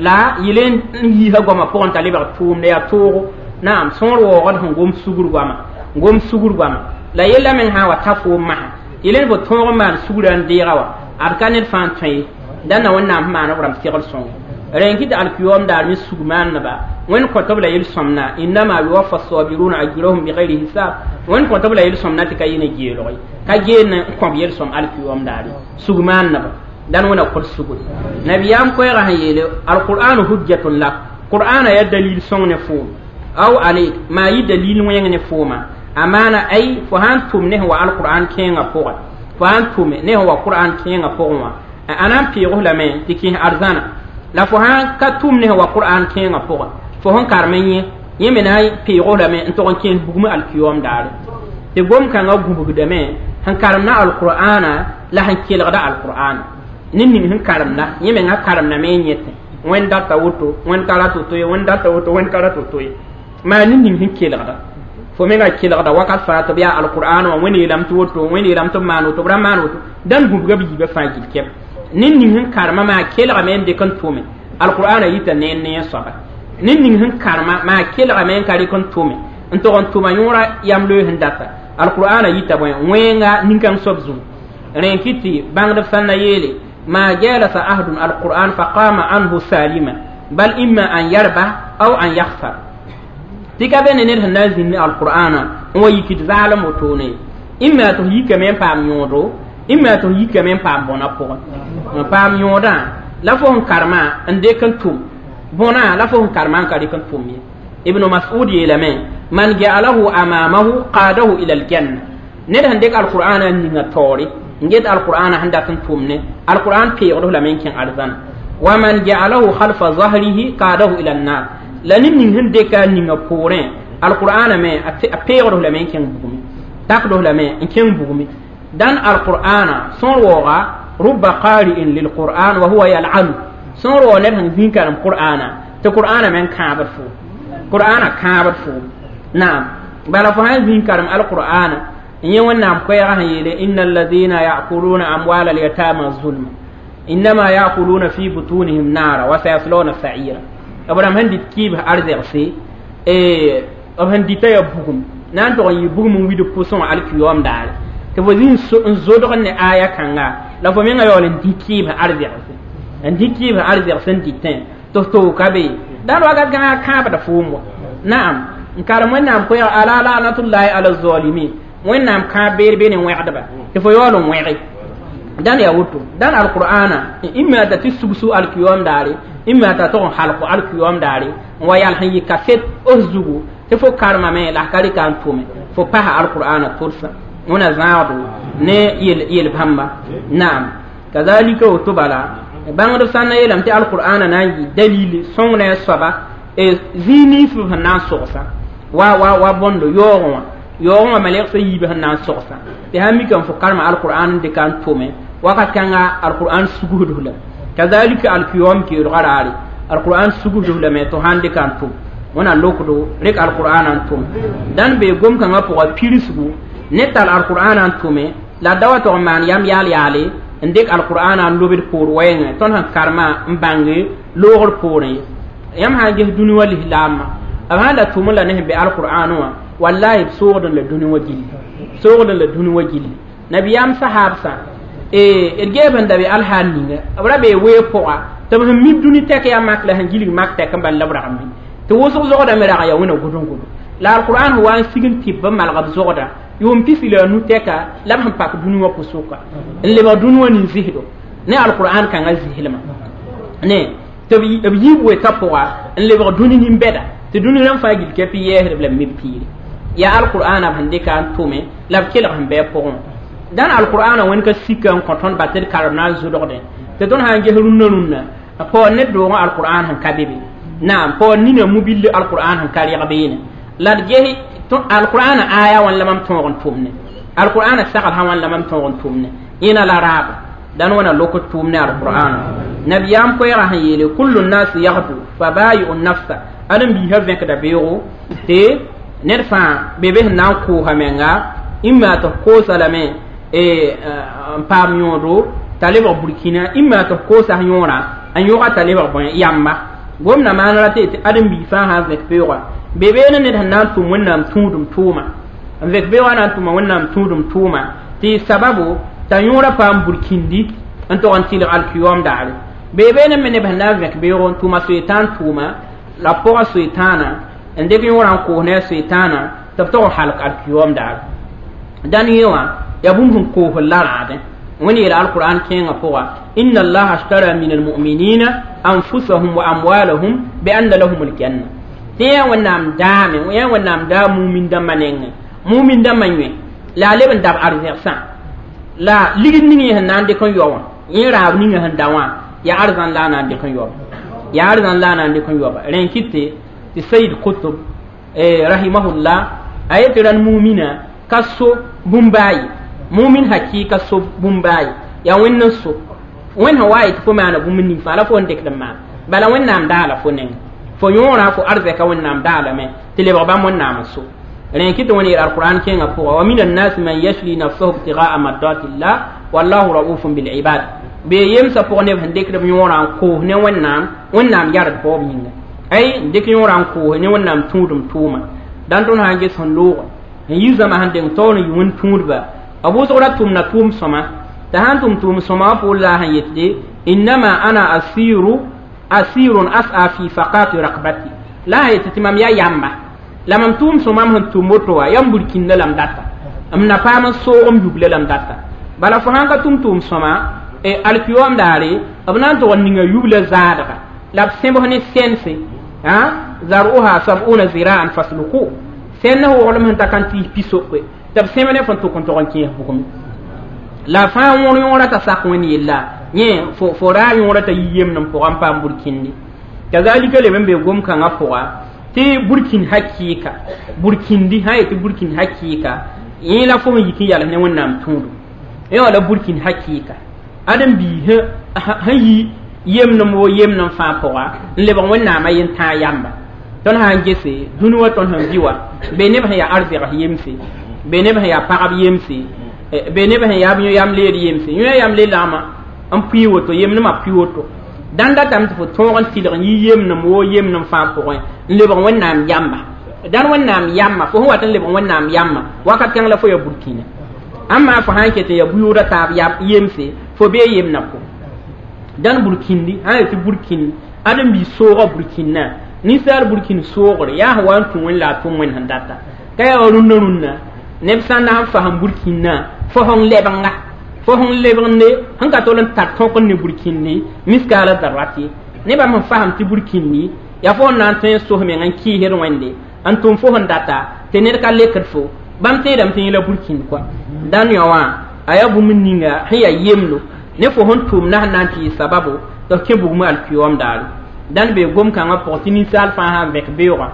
la yele n yiisã goamã pʋgẽ t'a lebg tʋʋmd yaa toogo naam sõor waoogd sẽn gom sugr goama gom sugr goama la yella meng sã n wa ta foom masã yele fo tõog n maan sugrã n deega wa ad ka ned fãa n tõe ye dãnna wẽnnaam sẽn maan b rãmb segl sõngo rẽn kɩ tɩ alkiyoom daar me sug maanneba wẽnd kõt b la yel-sõmna innama yuwaffa sabiruna ajrahum bigayri hisab wẽnd kõt b la yel-sõmna tɩ ka yɩ ne geelg ye ka geel n kõb yel-sõm alkiyoom daare sug maanneba dãn wẽna kõt sugri nabiyaam koɛɛgã sẽn yeele alqur'anu hujjatun lak qur'ana yaa dalil sõng ne foom aw aleyk maa yɩ dalil wẽng ne fooma a maana ay fo sãn tʋm ne sẽn wa alqur'an kẽengã pʋgẽ fo sãn tʋme ne sẽn wa qur'an kẽengã pʋgẽ wã a na n peeg lame tɩ kẽes arzãna la fo sãn ka tʋm ne sẽn wa qur'an kẽengã pʋgẽ fo sẽn karem n yẽ yẽ me na n peeg lame n tog n kẽes bugum alkiyoom daare tɩ gom-kãngã gũbgdame sẽn karemda alqur'ana la sẽn kelgda alqur'ana ned ning sẽn karemda yẽ mengã karemdame n yẽtẽ wẽnd data woto wẽnd ka rat woto ye wẽnd data woto wẽnd ka rat woto ye maa ned ning sẽn kelgda fo menga kelgda wakat fãa tɩ b yaa alqur'an wã wẽnd yeelame tɩ woto wẽnd yeelame tɩ b maan woto b ra maan woto dãn gũbga b yiibã fãa gill kɛb ned ning sẽn karema maa kelgame n dɩk n tʋme alqur'ana yita ne ne soaba ned ning sẽn karema maa kelgame n ka rɩk n tʋme n tog n tʋma yõora yam loe sẽn data alqur'ana yita bõe wẽnga nin-kãng soab zũu rẽ kɩ tɩ bãngdb sã na yeele ma jalasa ahdun alqur'an faqama anhu salima bal imma an yarba aw an yakhsar tɩ ka be ne ned sẽn na n zĩnd ne alqur'ana n wa yikd zaalem wotone imma tɩ f yikame n paam yõodo imma tɩ f yikame n paam bõna pʋgẽ n paam yõodã la fo sẽn karema n dɩk n tʋm bõna la fo sẽn karema n ka dɩk n tʋm ye ibnu mas'ud yeelame man ja'alahu amamahu qadahu ila aljanna ned sẽn dɩk alqur'ana n ninga taoore n get alqur'ana sẽn dat n tʋm ne alqur'an peegd lame n kẽ arzãna wa man ja'alahu khalfa zahrihi qadahu ila annar la ned ning sẽn dɩka a ninga poorẽ alqur'ana me a peegd lame n kẽng bugme takd lame n kẽng bugme dãn alqur'ana sõor waooga rubba qari'in lilqur'an wa huwa yal'anu sõor waoog ned sẽn zĩig karem qur'ana tɩ qur'ana me n kãabd foom qur'ana kãabd foom naam bala fo sãn zĩig karem alqur'ana n yẽ wẽnnaam koɛɛgã sẽn yeele inna alladhina ya'kuluna amwala alyatama zulma innama ya'kuluna fi butunihim nara wa sayaslawna sa'ira b rãmb sẽn dɩt kɩɩbs arzɛgse b sẽn dɩta yaa bugum na n tog n yɩ bugum n wid pʋsẽ wã alkiyoom daare tɩ fo zĩ n zodg ne aya kãnga la fo menga yaool n dĩ kɩɩbs arzɛgse n dĩ kɩɩbs arzɛgs n dɩtẽ tɩ f tooka be dãn wakat kãngã kãabda foom wa naam n karem wẽnnaam koɛɛg ala lanatullahi ala zalimin wẽnnaam kãab beer be ne wẽgdba tɩ fo yaool n wẽge dãn yaa woto dãn alqur'ana imma t'a tɩ sugsu alkiyoom daare imma t'a tog n halko alkiyoom daare n wa yal sẽn yɩ kaset f zugu tɩ fo karemame la ka rɩka n tʋme fo pasa alqur'ana tʋlsã wẽna zãagdo ne yel bãmba naam kazalika woto bala bãngdb sã n na yeelame tɩ alqur'ana na n yɩ dalil sõng ne a soaba zĩig nins b sẽn na n sogsa wa wa wa bõndo yaoogẽ wã yaoogẽ wã malɛgsã yiib sẽn na n sogsa tɩ sãn mika n fo karema alqur'an n dɩka n tʋme wakat kãnga alqur'an sugusd lame kazalika alkiyoom keoolgã raare alqur'an sugusd lame tɩ sãn dɩka n tʋm wẽna lokdo rek alqur'ana n tʋm dãn bee gom-kãngã pʋga pirsgu ne tar alqur'ana n tʋme la da wa tog n maan yam yaal yaale n dɩk alqur'ana n lobd poor wɛɛngẽ tõnd sẽn karema n bãnge loogr poorẽ ye yãmb sã n ges dũni wã lislaamã b sãn da tʋm la ne sẽn be alqur'an wã wallahi b soogd la dũni wã gilli soogd la dũni wã gilli nabiyaam sahaabsã d geeb sẽn da be alhaal ninga b ra bee weeg pʋga tɩ b sẽn mi dũni tɛk yaa mak la sẽn gilg mak tɛk n bal la b rag n mi tɩ wʋsg zogdame rag n yaa wẽna gʋdẽ-gʋdẽ la alqur'an sẽn wa n sig n tɩb b malg b zogda yʋʋm pisi la a nu tɛka la b sẽn pak dũni wã pʋsʋka n lebg dũni wã nin-zɩsdo ne alqur'an kãngã zɩslmã ne tɩ b yiib wetã pʋga n lebg dũni nin-bɛda tɩ dũni rãmb fãa gil kɛpɩ yɛɛsdb la b mib piire yaa alqur'ana b sẽn dɩka n tʋme la b kelg sẽn bɩ a pʋgẽ dãn alqur'ana wẽnd ka sika n kõ tõnd ba tɩ d karem na n zʋdgdẽ tɩ tõnd sã n ges rũnnã rũnnã paoor ne doogẽ alqur'an sẽn ka be be naam paoor nina mubilli alqur'an sẽn ka reg beene la d ges alqur'ana aya wãn la mam tõog n tʋmne alqur'ana sagl sã wãn la mam tõog n tʋmne yẽna la raaba Dan wana loko tʋʋm ne alqur'an nabiyam koɛɛgã sẽn yeele kullu nnas yagdu fa bayi'u nafsa ãdem-biisã vẽkda beoogo tɩ ned fãa be be sẽn na n koosa menga imma tɩ f koosa lame n paam yõodo t'a lebg burkina imma tɩ f koosa yõorã n yõga t'a lebg bõe yamba gomna maan ra tɩ ãdem-biig fãa sã n vẽk beoogã be beene ned sẽn na n tʋm wẽnnaam tũudum tʋʋma n vẽk beoogã na n tʋma wẽnnaam tũudum tʋʋma tɩ sababu t'a yõorã paam burkindi n tog n tɩlg alkiyom daare be beene me neb sẽn na n vẽk beoog n tʋma soetãan tʋʋma la pʋga soetãana n dɩk yõorã n koos ne a soetãana tɩ b tog n halk alkiyom daare dãn yẽ wã yaa bũmb sẽn koosd la rãadẽ wẽnd yeela alquran kẽengã pʋga inna allaha ashtara min almuminina anfusahum wa amwalahum bianna lahum aljanna tɩ yã wẽnnaam daame yã wẽnnaam daa mumin dãmbã nengẽ mumin dãmbã yẽ la a leb n dab arzɛgsã la ligd ning yẽ sẽn na n dɩk n yao wã yẽ raab ninga sẽn da wã yaa arzãn la a na n dɩk n yaoba yaa arzãn la a na n dɩk n yaoba rẽ n kɩt tɩ sayid kutub rahimahullah a yetɩ rãnd mumina ka so bũmb-baa ye mumin hakika so bũmb-baa ye yaa wẽnd n so wẽnd sẽn wa yetɩ fo maana bũmb ning fãa la fo n dɩkd n maan bala wẽnnaam daala fo nengẽ fo yõorã fo arzɛka wẽnnaam daalame tɩ lebg bãmb wẽnnaam n so rẽ kɩ tɩ wẽnd yeel alquran kẽengã pʋga wa min annas man yashri nafsahu ibtigaa mardatillah wallahu raufun bilibad bee yemsã pʋg neb sẽn dɩkd b yõorã n koos ne wẽnnaam wẽnnaam yard baoob yĩnga ay n dɩk yõorã n koos ne wẽnnaam tũudum tʋʋma dãn tõnd sã n ges sẽn looga n yi zãma sẽn deng taoor n yi wẽnd tũudba b wʋsg ra tʋmda tʋʋm sõma t'a sãn tʋm tʋʋm sõma wã poor la a sẽn yetde innama ana asiru asirun as'a fi faqati rakbati la a yetɩ tɩ mam yaa yamba la mam tʋʋm sõma m sẽn tʋm woto wã yam burkĩnda la m data m na paam n soog m yubla la m data bala fo sãn ka tʋm tʋʋm sõma alkiyom daare b na n tʋg n ninga yubla zaadga la b sẽbs ne sɛnse zaruha sabuna ziraan fasluku sẽn na woglem sẽn ta kan tɩɩs pi-sokwe tɩ b sẽb ne fõn tʋk n tog n kẽes bugme la fãa wõr yõorã t'a sak wẽnd yella yẽ fo raa yõorã t'a yi yemd n pʋga n paam burkĩndi kazalika leb n be gom-kãngã pʋga tɩ burkĩn hakɩɩka burkĩndi sã yetɩ burkĩn hakɩɩka yẽ la fo sẽn yik n yals ne wẽnnaam tũudum yẽ wã la burkĩn hakɩɩka ãdem-biis sẽn yi yemdem wo yemdem fãa pʋga n lebg wẽnnaamã yentãag yamba tõnd sã n gese dũni wã tõnd sẽn bɩ wa be neb sẽn yaa arzɛgs yemse be neb sẽn yaa pagb yemse be neb sẽn yaa yã-yam leed yemse yõ yam le lagma n pʋɩ woto yemdmã pʋɩ woto dãn datame tɩ fo tõog n tɩlg n yi yemdem woo yemdem fãa pʋgẽ n lebg wẽnnaam yamba dãn wẽnnaam yamba fo sẽn wat n lebg wẽnnaam yamba wakat kãng la fo ya burkĩna ãmma fo sã n ket n ya bʋyʋʋda taab yemse fo bee yemdã pʋgẽ dãn burkĩndi sã n yetɩ burkĩnd ãdem-biis soogã burkĩndã ninsaal burkĩnd soogre yaa sẽn wa n tũ wẽnd la a tʋm wẽnd sẽn data ka yaa wa rũndã rũndã neb sã n na n fasem burkĩndã fo sẽn lebnga fo sẽn lebgende sẽn ka tol n tar tõk n ne burkĩndi miskaala darrat ye nebã sẽn fasem tɩ burkĩndi yaa fo sẽn na n tõe n sos meng n kɩɩsd wẽnde n tʋm fo sẽn data tɩ ned ka lekd fo bãmb tẽedame tɩ yẽ la burkĩnd kɔa dãn yõ wã a yaa bũmb ninga sẽn yaa yemdo ne fo sẽn tʋm na sẽn na n tɩ yɩ sababu tɩ f kẽ bugmã alkiyom daare dãn bee gom-kãngã pʋgẽ tɩ ninsaal fãa sã n vẽk beoogã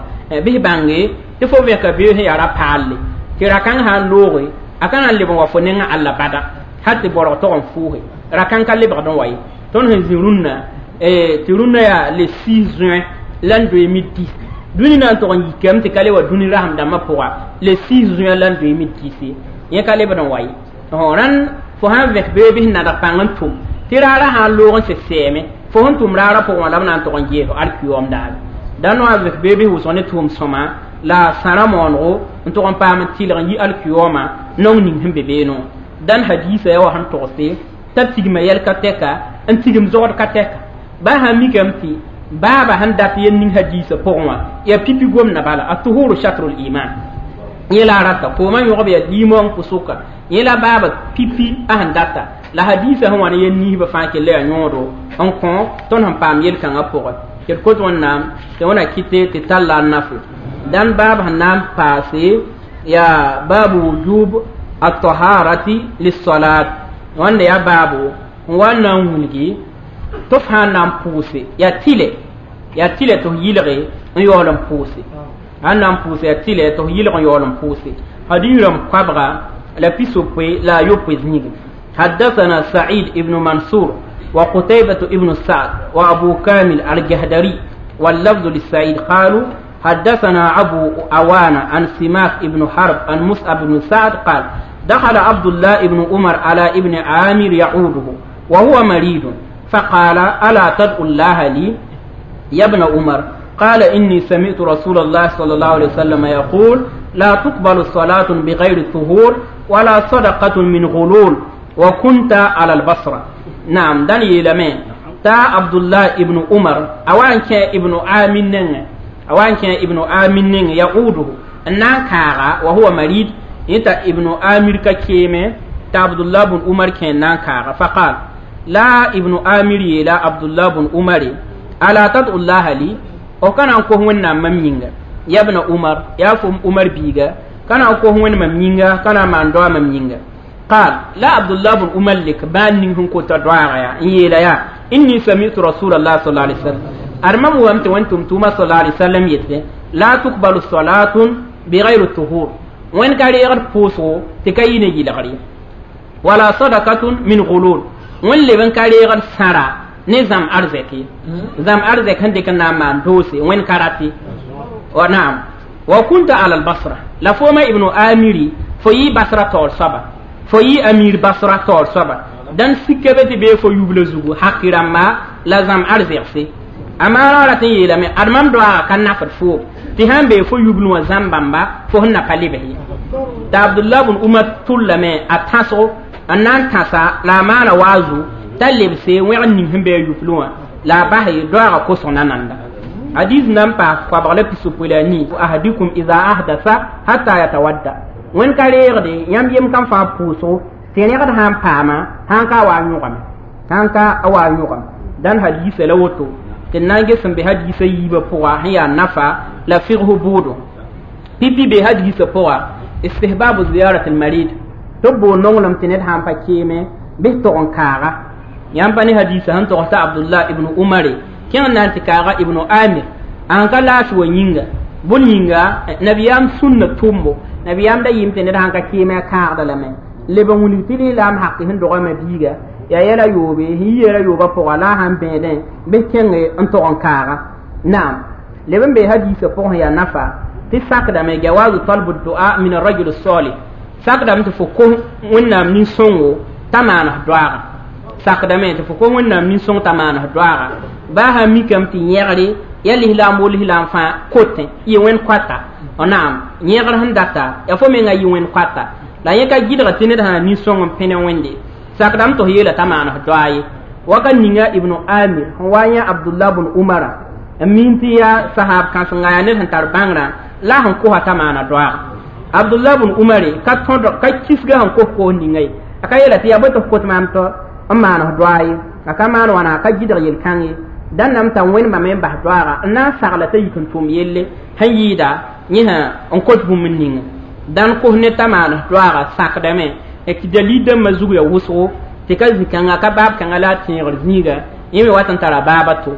bɩs bãnge tɩ fo vẽka beoog sẽn yaa ra-paalle tɩ ra-kãng sã n looge a ka na n leb n wa fo nengã alla bada hal tɩ borg tog n fʋʋse ra-kãng ka lebgd n wa ye tõnd sẽn zĩ rũnnã tɩ rũnnã yaa le 6 juin l'an 2010 dũni na n tog n yikame tɩ ka le wa dũni rasem dãmbã pʋga le 6 juin l'an 2010 yẽ ka lebd n wa ye rãnd fo sã n vẽk beoog bɩs nadg pãng n tʋm tɩ raarã sã n loog n sẽd sɛɛme fo sẽn tʋm raarã pʋgẽ wã la b na n tog n gees alkiyom daare dãn wã vẽk beoog bɩs wʋsg ne tʋʋm sõma la sãrã moonego n tog n paam n tɩlg n yi alkiyoma nong ning sẽn be beene wã dãn hadiisa yaa wa sẽn togse t'a tigma yɛl ka tɛka n tigim zogd ka tɛka baa sã n mikame tɩ baaba sẽn dat yel ning hadiisa pʋgẽ wã yaa pipi gomdã bala a tuhuru shatrul iman yẽ la a rata koomã yõgb yaa limong pʋsʋka yẽ la baaba pipi a sẽn data la hadiisa sẽn wa ne yel niisbã fãa kell yaa yõodo n kõ tõnd sẽn paam yel-kãngã pʋgẽ tɩ d kot wẽnnaam tɩ wẽna kɩte tɩ tall la a nafe dãn baab sẽn na n paase yaa baabu wujub at-taharati lis-salat wãnda yaa baabo n wa n na n wilgi tɩ f sã n na n pʋʋse yaa tɩlɛ tɩ f yɩlge n yaool n pʋʋse sãn na n pʋʋse yaa tɩlɛ tɩ f yɩlg n yaool n pʋʋse hadiis rãmb koabga la pisopoe la a yopoe zĩige حدثنا سعيد ابن منصور وقتيبة ابن سعد وأبو كامل الجهدري واللفظ للسعيد قالوا حدثنا أبو أوان عن سماك ابن حرب عن مصعب بن سعد قال دخل عبد الله ابن عمر على ابن عامر يعوده وهو مريض فقال ألا تدعو الله لي يا ابن عمر؟ قال إني سمعت رسول الله صلى الله عليه وسلم يقول لا تقبل صلاة بغير طهور ولا صدقة من غلول وكنت على البصرة. نعم داني لمن تا عبد الله ابن عمر أوان كان ابن عامر أوان كان ابن عامر يعوده نانكارا وهو مريض إنت ابن عامر كيمه تا عبد الله بن عمر كان نانكارا فقال لا ابن عامر لا عبد الله بن عمر ألا تدعو الله لي أو كان أنكو هو نام يا ابن عمر يا فم عمر بيغا كان أنكو هو ممينغا كان ما ندوا ممينغا قال لا عبد الله بن عمر لك بان نهم كنت دعاء يا يا إني سمعت رسول الله صلى الله عليه وسلم أرمم وأنت وأنتم توما صلى الله عليه وسلم يتلي لا تقبل الصلاة بغير الطهور وين كان يغر بوسو تكاين يلغري ولا صدقة من غلول وين لبن كان يغر سارا نظام أرزكي زام أرزك عندك نعم دوسي وين كاراتي ونعم وكنت على البصرة لفوما ابن آميري في بصرة طول سبا في أمير بصرة طول سبا دان سكبت بي فو يبل زوغو حقيرا ما لازم أرزك أما رأتي يلمي أرمم دعاء كان نفر فوق تهم بي فو يبلو زامبامبا فو هن قليبه تا عبد الله بن عمر تولمي أتاسو أنان تاسا لا مانا وازو تلبسي وين نهم بي يبلو لا باهي دعاء كوسونا ناندا حديث نمبا قبل بسوبولاني أحدكم إذا أحدث حتى يتودى وين كاليردي يم يم كان فا بوسو تينيغد هان باما هان كا وا هان كا وا يوغم دان حديث لوتو تنانجي سن به حديث ييبا بوا هي نفا لا فقه بودو بيبي به حديث بوا استحباب زيارة المريض تبو نونلم تنيد هان با كيمه به تون كارا يام بني حديث هان تو عبد الله ابن عمر كان نانتي كارا ابن عامر an ka lafi wa yĩnga bõn yĩnga nabiyaam sũnna tʋmbo nabiyaam da yɩɩm tɩ ned sãn ka kɩɩmẽ a kãagda lame leb n wilg tɩ lislaam haq sẽn dogame biiga yaa yɛla yoobe sẽn yi yɛla yoobã pʋga la a sãn bẽedẽ bɩ kẽnge n tog n kaaga naam leb n bee hadiisã pʋgẽ yaa nafa tɩ sakdame jawazu talbu dua min arajul salih sakdame tɩ fo kos wẽnnaam nin-sõngo t'a maan f doaaga sakdame tɩ fo kos wẽnnaam nin-sõng t'a maan f doaaga baa sã mikame tɩ yẽgre ya lislaam wo lislaam fãa kotẽ yɩ wẽnd koata naam yẽgr sẽn data ya fo menga yɩ wẽnd koata la yẽ ka gɩdga tɩ ned sã nin-sõng n pẽne wẽnde sakdame tɩ f yeela t'a maan f doa ye waka ninga ibnu amir sẽn wa yã abdullah bn umara n min tɩ yaa sahab kãsenga yaa ned sẽn tar bãngrã la sẽn kosa t'a maana doaaga abdullah bn umare ka tõd ka kisga sẽn kos koos ninga ye a ka yeela tɩ yaa bõe tɩ f kot maam tɩ n maan f doa ye a ka maan wãna a ka gɩdg yel-kãng ye dan nam ta wẽnd bãmb n bas doaaga n na n sagla t'a yik n tʋm yelle sẽn yɩɩda yẽ sã n kot bũmb n ninga dãn kos ne t'a maan doaaga sakdame tɩ dalil dãmbã zug ya wʋsgo tɩ ka zĩ-kãnga ka baab kãnga la a tẽegr zĩiga yẽ me wat n tara baaba to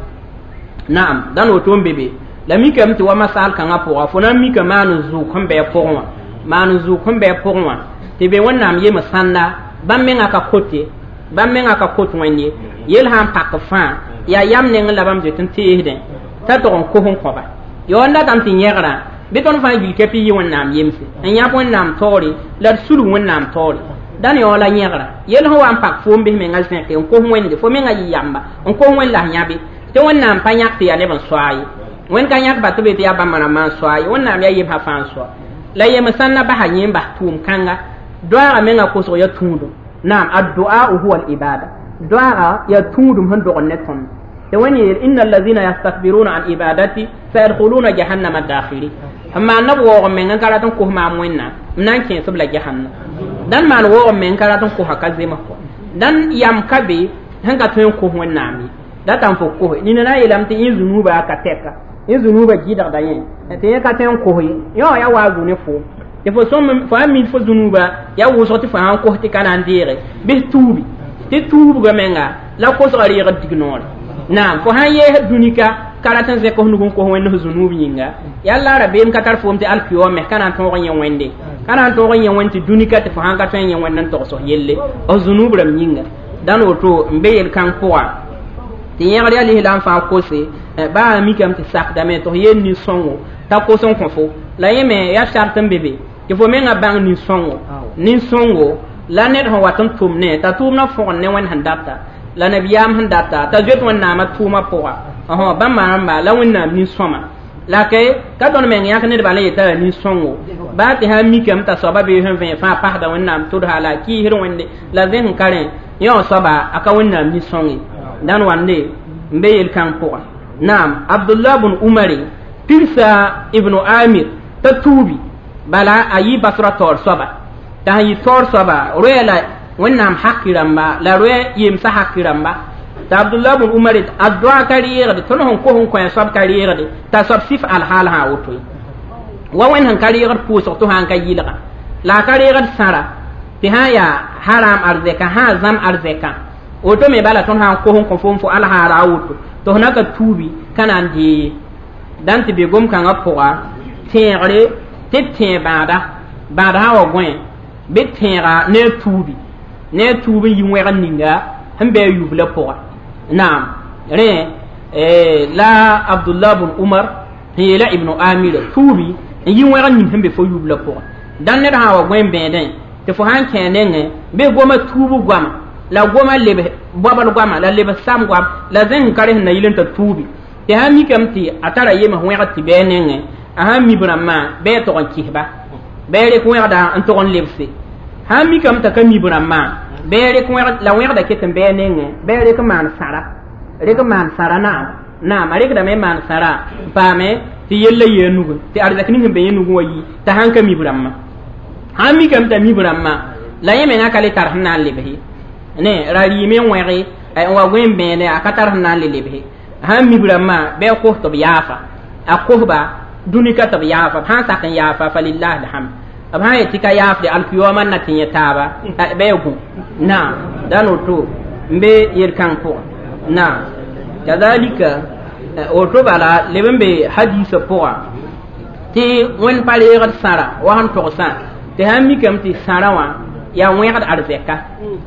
naam dãn woto n be be la mikame tɩ wa masaal kãngã pʋga fo na n mika maan n zʋʋg sẽn bɩ a pʋgẽ wã maan n zʋʋg sẽn bɩ a pʋgẽ wã tɩ be wẽnnaam yem sãnda bãmb mengã ka kote bãmb mengã ka kot wẽnd ye yel sã n pak fãa yaa yam neng la bãmb zoet n teesdẽ t'a tog n kos n kõba yo n datame tɩ yẽgrã bɩ tõnd fãa gil kɛpɩ yɩ wẽnnaam yemse n yãb wẽnnaam taoore la d sulg wẽnnaam taoore dãn yao la yẽgra yel sẽn wa n pak foom bɩs menga zẽke n kos wẽnde fo menga yɩ yamba n kos wẽnd la s yãbe tɩ wẽnnaam pa yãk tɩ yaa neb n soa ye wẽnd ka yãk ba tɩ be tɩ yaa bãmba rãmbã n soa ye wẽnnaam yaa yemsã fãa n soa la yem sãn na basa yẽ n bas tʋʋm kãnga doaaga menga kosg ya tũudum naam addu'a huwa al-ibada doaaga yaa tũudum sẽn dogd ne tõnd tɩ wẽnd yeel inna allazina yastakbiruna an ibadati sayadkhuluna jahannama dakhirin n maan nab waoog meng n ka rat n kos maam wẽnnaam n na n kẽesb la jahannam dãn maan waoog meng ka rat n kosa ka zems kɔ dãn yam ka be sẽn ka tõe n kos wẽnnaam ye datame fo kose nina na n yeelame tɩ yẽ zunuuba ka tɛka yẽ zunuuba gɩdgda yẽ tɩ yẽ ka tõe n kos ye yẽ wã yaa waa zu ne foom tɩ fo sõm fo sã mid fo zunuuba yaa wʋsg tɩ fo sã n kos tɩ ka na n deege bɩs tuubi tɩ tuubga menga la kosga reegd dig noore naam fo sãn yees dũnika ka rat n zẽk f nug n kos wẽnd f zunuub yĩnga yalla rabeem ka tar foom tɩ alkiyoom me ka na n tõog yẽ wẽnde Ka na n tõog n yẽ wẽnd tɩ dũni ka tɩ fo sãn ka tõe n yẽ wẽnd n togs f yelle f zũnub rãmb yĩnga dãn woto n be yel-kãng pʋga tɩ yẽgr yaa lislaam fãa kose baa a mikame tɩ sakdame tɩ f yeel nin-sõngo t'a kos n kõ fo la yẽ me yaa sart n be be tɩ fo menga bãng nin-sõngo la ned sẽn wat n tʋm ne t'a tʋʋmdã fõgen ne wẽnd sẽn data la nabiyaam sẽn data t'a zoet wẽnnaamã tʋʋmã pʋga bãmb rãmba la wẽnnaam nin-sõma la ke ka tõnd meng yãk nedbã la yeta yaa nin-sõngo baa tɩ sã n mikame t'a soaba bee sẽn vẽ fãa pasda wẽnnaam tʋdsa la a kɩɩsd wẽnde la zẽsẽn ka rẽ yẽ wã soaba a ka wẽnnaam nin-sõng ye dãn wande n be yel-kãng pʋga naam Abdullah bn Umare pirsa Ibnu Amir t'a tuubi bala a yɩ basra taoor soaba t'a sẽn yɩ taoor soaba roɛɛ la wẽnnaam haki rãmba la roɛ yemsã haki rãmba t'a Abdullah bn Umar a doa ka reegde tõnd sẽn kos n kõ a soab ka reegde t'a soab sif alhaal sã woto ye wa wẽnd sẽn ka reegd pʋʋsg tɩ sã n ka yɩlga la a ka reegd sãra tɩ sã n yaa haram arzɛka sã zãm arzɛka woto me bala tõnd sã n kos n kõ fo n fo alhaala a woto tɩ f na ka tuubi ka na n dee ye dãn tɩ be gom-kãngã pʋga tẽegre tɩ b tẽeg bãada bãada sã wa gõe bɩ tẽega ne a tuubi ne a tuub n yi wẽgr ninga sẽn bɩ a yubla pʋga naam rẽ la Abdullah bn Umar sẽn yeela Ibnu Amira tuubi n yi wẽgr ning sẽn be fo yubla pʋga dãn ned sã wa gõe n bẽedẽ tɩ fo sã n kẽ nengẽ bɩ goma tuub goama la goma leb bobl goama la leb sam goam la zẽng ka rẽ sẽn na yɩl n t'a tuubi tɩ sã n mikame tɩ a tara yems wẽgd tɩ bɩ a nengẽ a sãn mi b rãmbã bɩ a tog n kɩsba bɩ a rek wẽgda n tog n lebse sãn mikame t'a ka mi b rãmbã bɩ a rek wẽgd la wẽgda ket n bɩ a nengẽ bɩ a rek n maan sãra rek n maan sãra naam naam a rekdame n maan sãra n paame tɩ yella yɩ a nugẽ tɩ arzɛk ning sẽn be yẽ nugẽ wa yi t'a sãn ka mi b rãmbã sãn mikame t'a mi b rãmbã la yẽ mengã ka le tar sẽn na n lebse ne ra rɩɩme n wẽge n wa gõe n bẽede a ka tar sẽn na n le lebse sãn mi b rãmbã bɩ a kos tɩ b yaafa a kosba dũni ka tɩ b yaafa b sãn sak n yaafa fa lillahi alhamd b sãn yet tɩ ka yaafde alkiyooma n na tɩ yẽ taaba bɩ a gũ naam dãn woto n be yel-kãng pʋgã naam kazalika woto bala leb n be hadiisã pʋga tɩ wẽnd pa reegd sãra wa sẽn togsã tɩ sãn mikame tɩ sãra wã yaa wẽgd arzɛka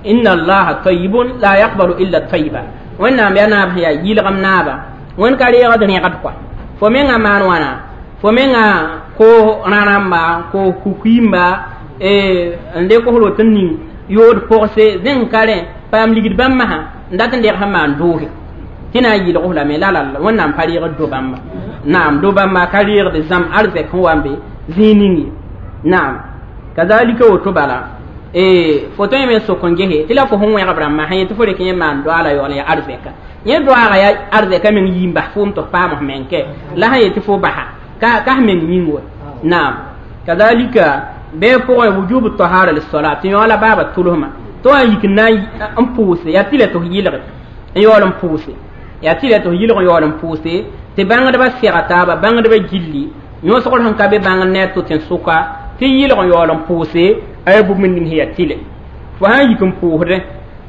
inna allaha tayibun la yaqbalu illa tayiba wẽnnaam yaa naab sẽn yaa yɩlgem naaba wẽnd ka reegd rẽgd kɔa fo mengã maan wãna fo mengã ko rãrãmba ko kukuimba n le kosr woto n ning yood pʋgse zẽng ka rẽ paam ligd bãmb masã n dat n deg sẽn maan doose tɩ na n yɩlg f lame la la wẽnnaam pa reegd do bãmba naam do bãmba ka reegd zãm arzɛk sẽn wa n be zĩig ning ye naam kazalika woto bala fo tõe me n sok n gese tɩ la fo sẽn wẽgb rãmbã sẽn yetɩ fo rek yẽ maan doaala yaool yaa arzɛka yẽ doaaga yaa arzɛka meng yii n bas foom tɩ f paam f meng kɛ la sẽn yetɩ fo basa ka f meng yĩng wa naam kazalika bɩ pʋgẽ wujubu tahara lissalat tɩ yõ la baaba tʋlsmã tɩ wa n yik n na n pʋʋse yaa tɩ la tɩ f yɩlge n yaool n pʋʋse yaa tɩ la tɩ f yɩlg n yaool n pʋʋse tɩ bãngdbã sɛga taaba bãngdbã gilli yõsgr sẽn ka be bãngd ne a tʋ tẽn-sʋka tɩ yɩlg n yaool n pʋʋse a yaa bũmb ning sẽn yaa tɩlɛ fo sã n yik n pʋʋsdẽ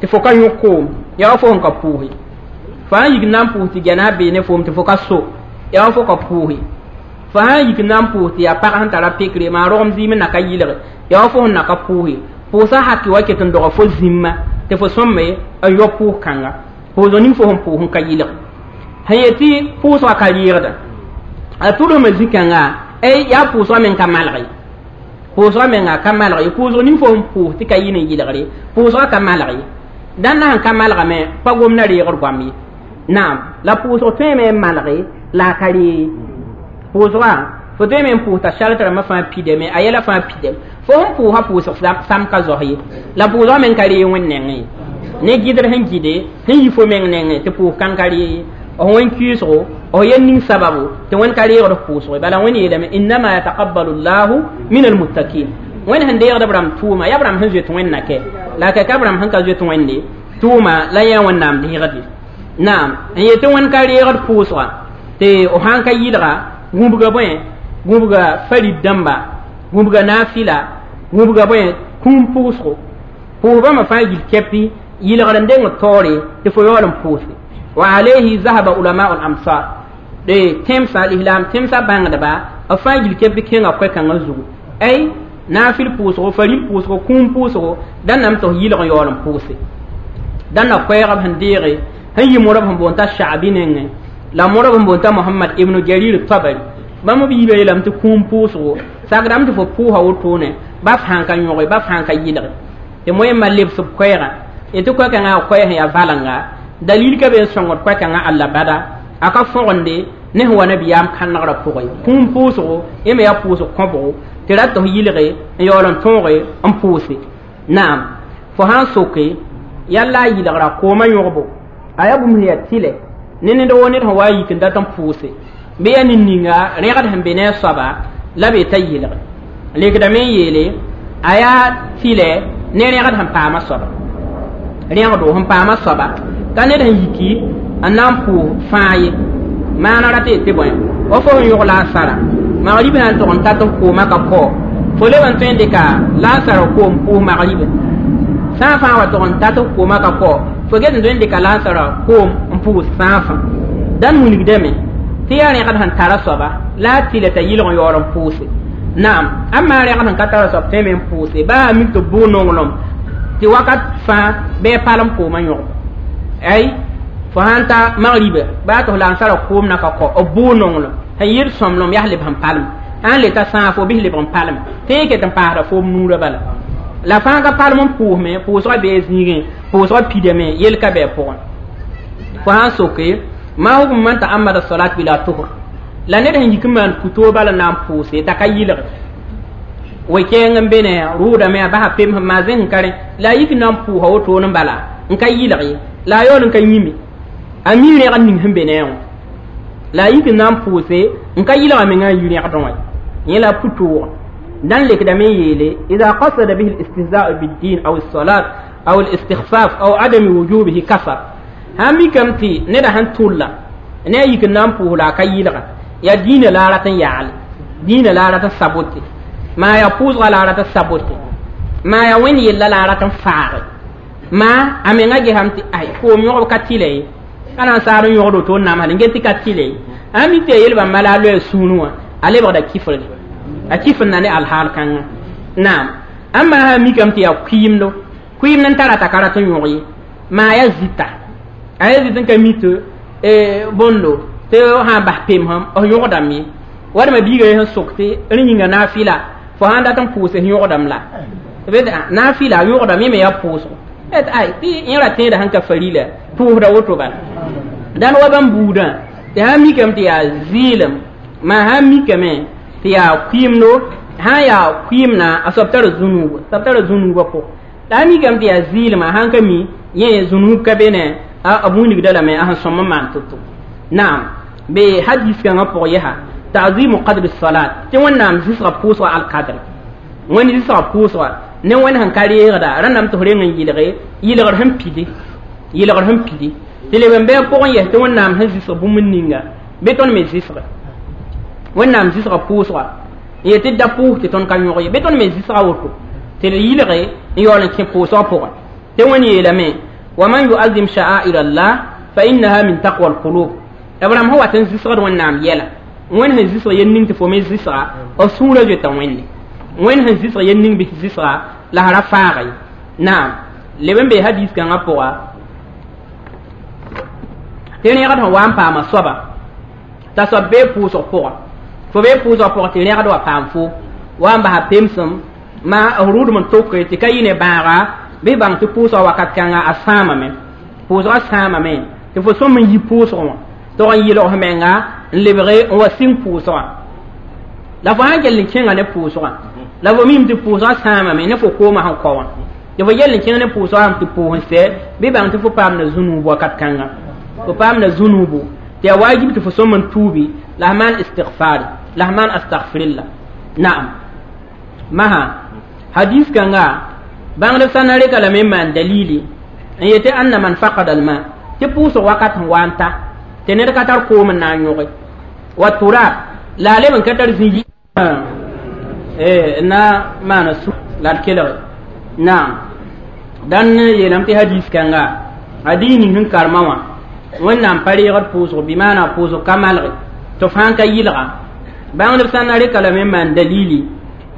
tɩ fo ka yõ koom yaa wa fo sẽn ka pʋʋse fo sã n yik n na n pʋʋs tɩ gɛna bee ne foom tɩ fo ka so yaa wa fo ka pʋʋse fo sã n yik n na n pʋʋs tɩ yaa pag sẽn tara pekre maa rogem zɩɩm n na ka yɩlge yaa wa fo sẽn na ka pʋʋse pʋʋsã haki wa ket n doga fo zĩmma tɩ fo sõmme n yɔ pʋʋs-kãnga pʋʋsg ning fo sẽn pʋʋs n ka yɩlg sẽn yetɩ pʋʋsgã ka yɩɩgda a tʋlsmã zĩ-kãnga yaa pʋʋsgã meng ka malg ye pʋʋsgã menga ka malg ye pʋʋsg ning fo sẽn pʋʋs tɩ ka yɩ ne yɩlgre pʋʋsgã ka malg ye dãn na sẽn ka malgame pa gom na reegd goam ye naam la pʋʋsg tõeme n malge la a ka reeg pʋʋsgã fo tõeme n pʋʋs t'a sart rãmbã fãa pidame a yɛla fãa pidame fo sẽn pʋʋsa pʋʋsg sam ka zos ye la pʋʋsgã meng ka reeg wẽnd nengẽ ye ne gɩdr sẽn gɩde sẽn yi fo meng nengẽ tɩ pʋʋs kãng ka reeg ye f wẽn kɩɩsgo f yel ning sababu tɩ wẽnd ka reegd f pʋʋsg bala wẽnd yeelame innama yataqabbalu llahu min almuttakin wẽnd sẽn deegd b rãmb tʋʋma yaa b rãmb sẽn zoet wẽnna kɛ la ka b rãmb sẽn ka zoet wẽnde tʋʋma la yã wẽnnaam deegd naam n yetɩ wẽnd ka reegd pʋʋsga tɩ f sãn ka yɩlga gũbga bõe gũbga farid dãmba gũbga naafila gũbga bõe kũum pʋʋsgo pʋʋs bãmba fãa yil kɛpɩ yɩlgr n deng taoore tɩ fo yaool n pʋʋse wa alayhi zahaba ulamau lamsar de tẽmsã lislaam tẽmsã bãngdba b fãa yil kɛpɩ kẽnga koɛ-kãngã zugu ay Naafɩl pʋʋsgo, faril pʋʋsgo, kũum pʋʋsgo, dãn tɩ f yɩlg n yaool n pʋʋse. Dãn na koɛɛg b sẽn deege sẽn yi modb sẽn boond t'a Shaabi nengẽ la modb sẽn boond t'a Mohamad ibnu Jarir Tabari. Bãmb b yiibã yeelame tɩ kũum pʋʋsgo sakdame tɩ fo pʋʋsa wotone ba f sãn ka yõge, ba f sãn ka yɩlge tɩ moẽmã lebs b koɛɛgã tɩ koɛ-kãngã a koɛɛ sẽn yaa valenga dalil ka be n sõngd koɛ-kãngã alla bada a ka fõgende ne sẽn wa nabiyaam kãnegrã pʋgẽ. Kũum pʋʋsgo yẽ me yaa pʋʋsg kõbgo tɩ rat tɩ f yɩlge n yaool n tõoge n pʋʋse. Naam, fo sãn soke yalla a yɩlgra koomã yõgbo a yaa bũmb sẽn yaa tɩlɛ ne ned woo ned sẽn wa yik n dat n pʋʋse bɩ yaa nin-ninga rẽgd sẽn be ne a soaba la be t'a yɩlge lekdame n yeele a yaa tɩlɛ ne rẽgd sẽn paama soaba rẽgdo sẽn paama soaba ka ned sẽn yiki n na n pʋʋs fãa ye maana rat tɩ bõe wa fo sẽn yõg la a sara magrib sã n tʋg n tat f koomã ka kao fo leb n tõe n dɩka la a sara koom pʋʋs magribe sã n fãa wa tʋg n tat f koomã ka kao fo get n tõe n dɩka la a sara koom n pʋʋs sãafã. Dãn wilgdame tɩ yaa rẽgd sẽn tara soaba la a tɩlɛ t'a yɩlg n yaool n pʋʋse. Naam, amma rẽgd sẽn ka tara soab tõeme n pʋʋse baa a mik tɩ bʋʋ nonglem tɩ wakat fãa bɩ a palem koomã yõgb ay fo sãn ta magriba baa tɩ f la n sara koom na ka kao b bʋʋ nonglem sẽn yɩd sõmblem yaa leb sẽn palem sãn le ta sãag fo bɩs leb n palem tɩ ket n paasda foom nuurã bala la fãa ka palem n pʋʋsme pʋʋsgã bee zĩigẽ pʋʋsgã pidame yel ka bɩ a pʋgẽ. Fo sãn soke ma hukm man ta'ammada salat bila tuhr la ned sẽn yik n maan putoo bala na n pʋʋse t'a ka yɩlge we-kɛɛng n be ne rʋʋdame a basa pem sẽn maa zẽng ka rẽ la a yik n na n pʋʋsa wotone n bala n ka yɩlg ye la a yaool n ka yĩme a mi rẽgd ning sẽn be ne wã la a yik n na n pʋʋse n ka yɩlga mengã a yi rẽgdẽ wã yẽ la pʋtʋʋg. Dãn lekdame n yeele ida qasada bihi الاستهزاء بالدين أو الصلاة أو الاستخفاف أو عدم وجوبه كفر. Sãn mikame tɩ neda sẽn tʋlla ne a yik n na n pʋʋs la a ka yɩlga yaa dĩinã la a rat n yagle dĩinã la a rat n sabote maa yaa pʋʋsga la a rat n sabote maa yaa wẽnd yella la a rat n faage maa a menga gesame tɩ ay koom yõgb ka tɩlɛ ye ka na n saad n yõgd woto n namsd n get tɩ ka tɩlɛ ye a mi tɩ a yel bãmba la a loɛɛ sũurẽ wã a lebgda kifrge a kifr na ne alhaal kãngã. Naam, ãmba sã n mikame tɩ yaa kʋɩɩmdo kʋɩɩmd n tara t'a ka rat n yõg ye maa yaa zita a yaa zit n ka mi tɩ bõndo tɩ sã n bas pemsem f yõgdame ye wadma biiga ye sẽn sok tɩ rẽ yĩnga naafɩla fo sãn dat n pʋʋse f yõgdame la naafɩla yõgdame me yaa pʋʋsgo ay tɩ yẽ ra tẽeda sẽn ka farila pʋʋsda woto bala dãn wa bãmb buudã tɩ sãn mikame tɩ yaa zɩɩlem maa sãn mikame tɩ yaa kʋɩɩmdo sãn yaa kʋɩɩmna a soab tara zũnuuba soab tara zũnuubã pʋgẽ la a mikame tɩ yaa zɩɩlema sãn ka mi yẽ zũnuub ka be ne a wilgda lame a sẽn sõm n maan to-to. Naam, be hadis kãngã pʋg yɛsa ta'zimu qadri salat tɩ wẽnnaam zɩsga pʋʋsga alkadr wẽnd zɩsga pʋʋsga ne wẽnd sẽn ka reegda rãndame tɩ f reng n yɩlge yɩlgr sẽn pide yɩlgr sẽn pide tɩ leb n bɩ a pʋgẽ yɛs tɩ wẽnnaam sẽn zɩsg bũmb ninga bɩ tõnd me zɩsge wẽnnaam zɩsga pʋʋsga n yet tɩ da pʋʋs tɩ tõnd ka yõg ye bɩ tõnd me zɩsga woto tɩ d yɩlge n yaool n kẽ pʋʋsgã pʋgẽ tɩ wẽnd yeelame wa man yuazim sha'air Allah fa innaha min taqwa alqulub b rãmb sẽn wat n zɩsgd wẽnnaam yɛla wẽnd sẽn zɩsg yel ning tɩ fo me zɩsga b sũurã zoeta wẽnde wẽnd sẽn zɩsg yel ning bɩ zɩsga la ra faaga ye. Naam, leb n bee hadis kãngã pʋga tɩ rẽgd sẽn wa n paama soaba t'a soab bee pʋʋsg pʋga fo bee pʋʋsg pʋgã tɩ rẽgd wa paam fo wa n basa pemsem maa f rʋʋdem n toke tɩ ka yɩ ne bãaga bɩ bãng tɩ pʋʋsga wakat kãnga a sãamame pʋʋsga sãamame tɩ fo sõm n yi pʋʋsg wã tog n yɩlg f menga n lebge n wa sĩng pʋʋsgã la fo sãn kell n kẽnga ne pʋʋsgã la fo mim tɩ pʋʋsgã sãamame ne fo koomã sẽn kao wã tɩ fo yell n kẽng ne pʋʋsgã tɩ pʋʋs n sɛ bɩ bãng tɩ fo paamda zũnuub wakat kãnga fo paamda zũnuubu tɩ yaa waajib tɩ fo sõm n tuubi la f maan istigfaari la f maan astagfirilla. Naam, masã hadis kãnga bãngdb sã na reka lame n maan dalili n yetɩ anna man faqada alma tɩ pʋʋsg wakat sẽn wa n ta tɩ ned ka tar koom n na n yõge wa turab la a leb n ka tar zĩ na maana su la d kelge. Naam, dãn yeelame tɩ hadis kãnga a dĩig ning sẽn karema wã wẽnnaam pa reegd pʋʋsg bɩ maana pʋʋsg ka malge tɩ f sãn ka yɩlga bãngdb sã na reka lame n maan dalili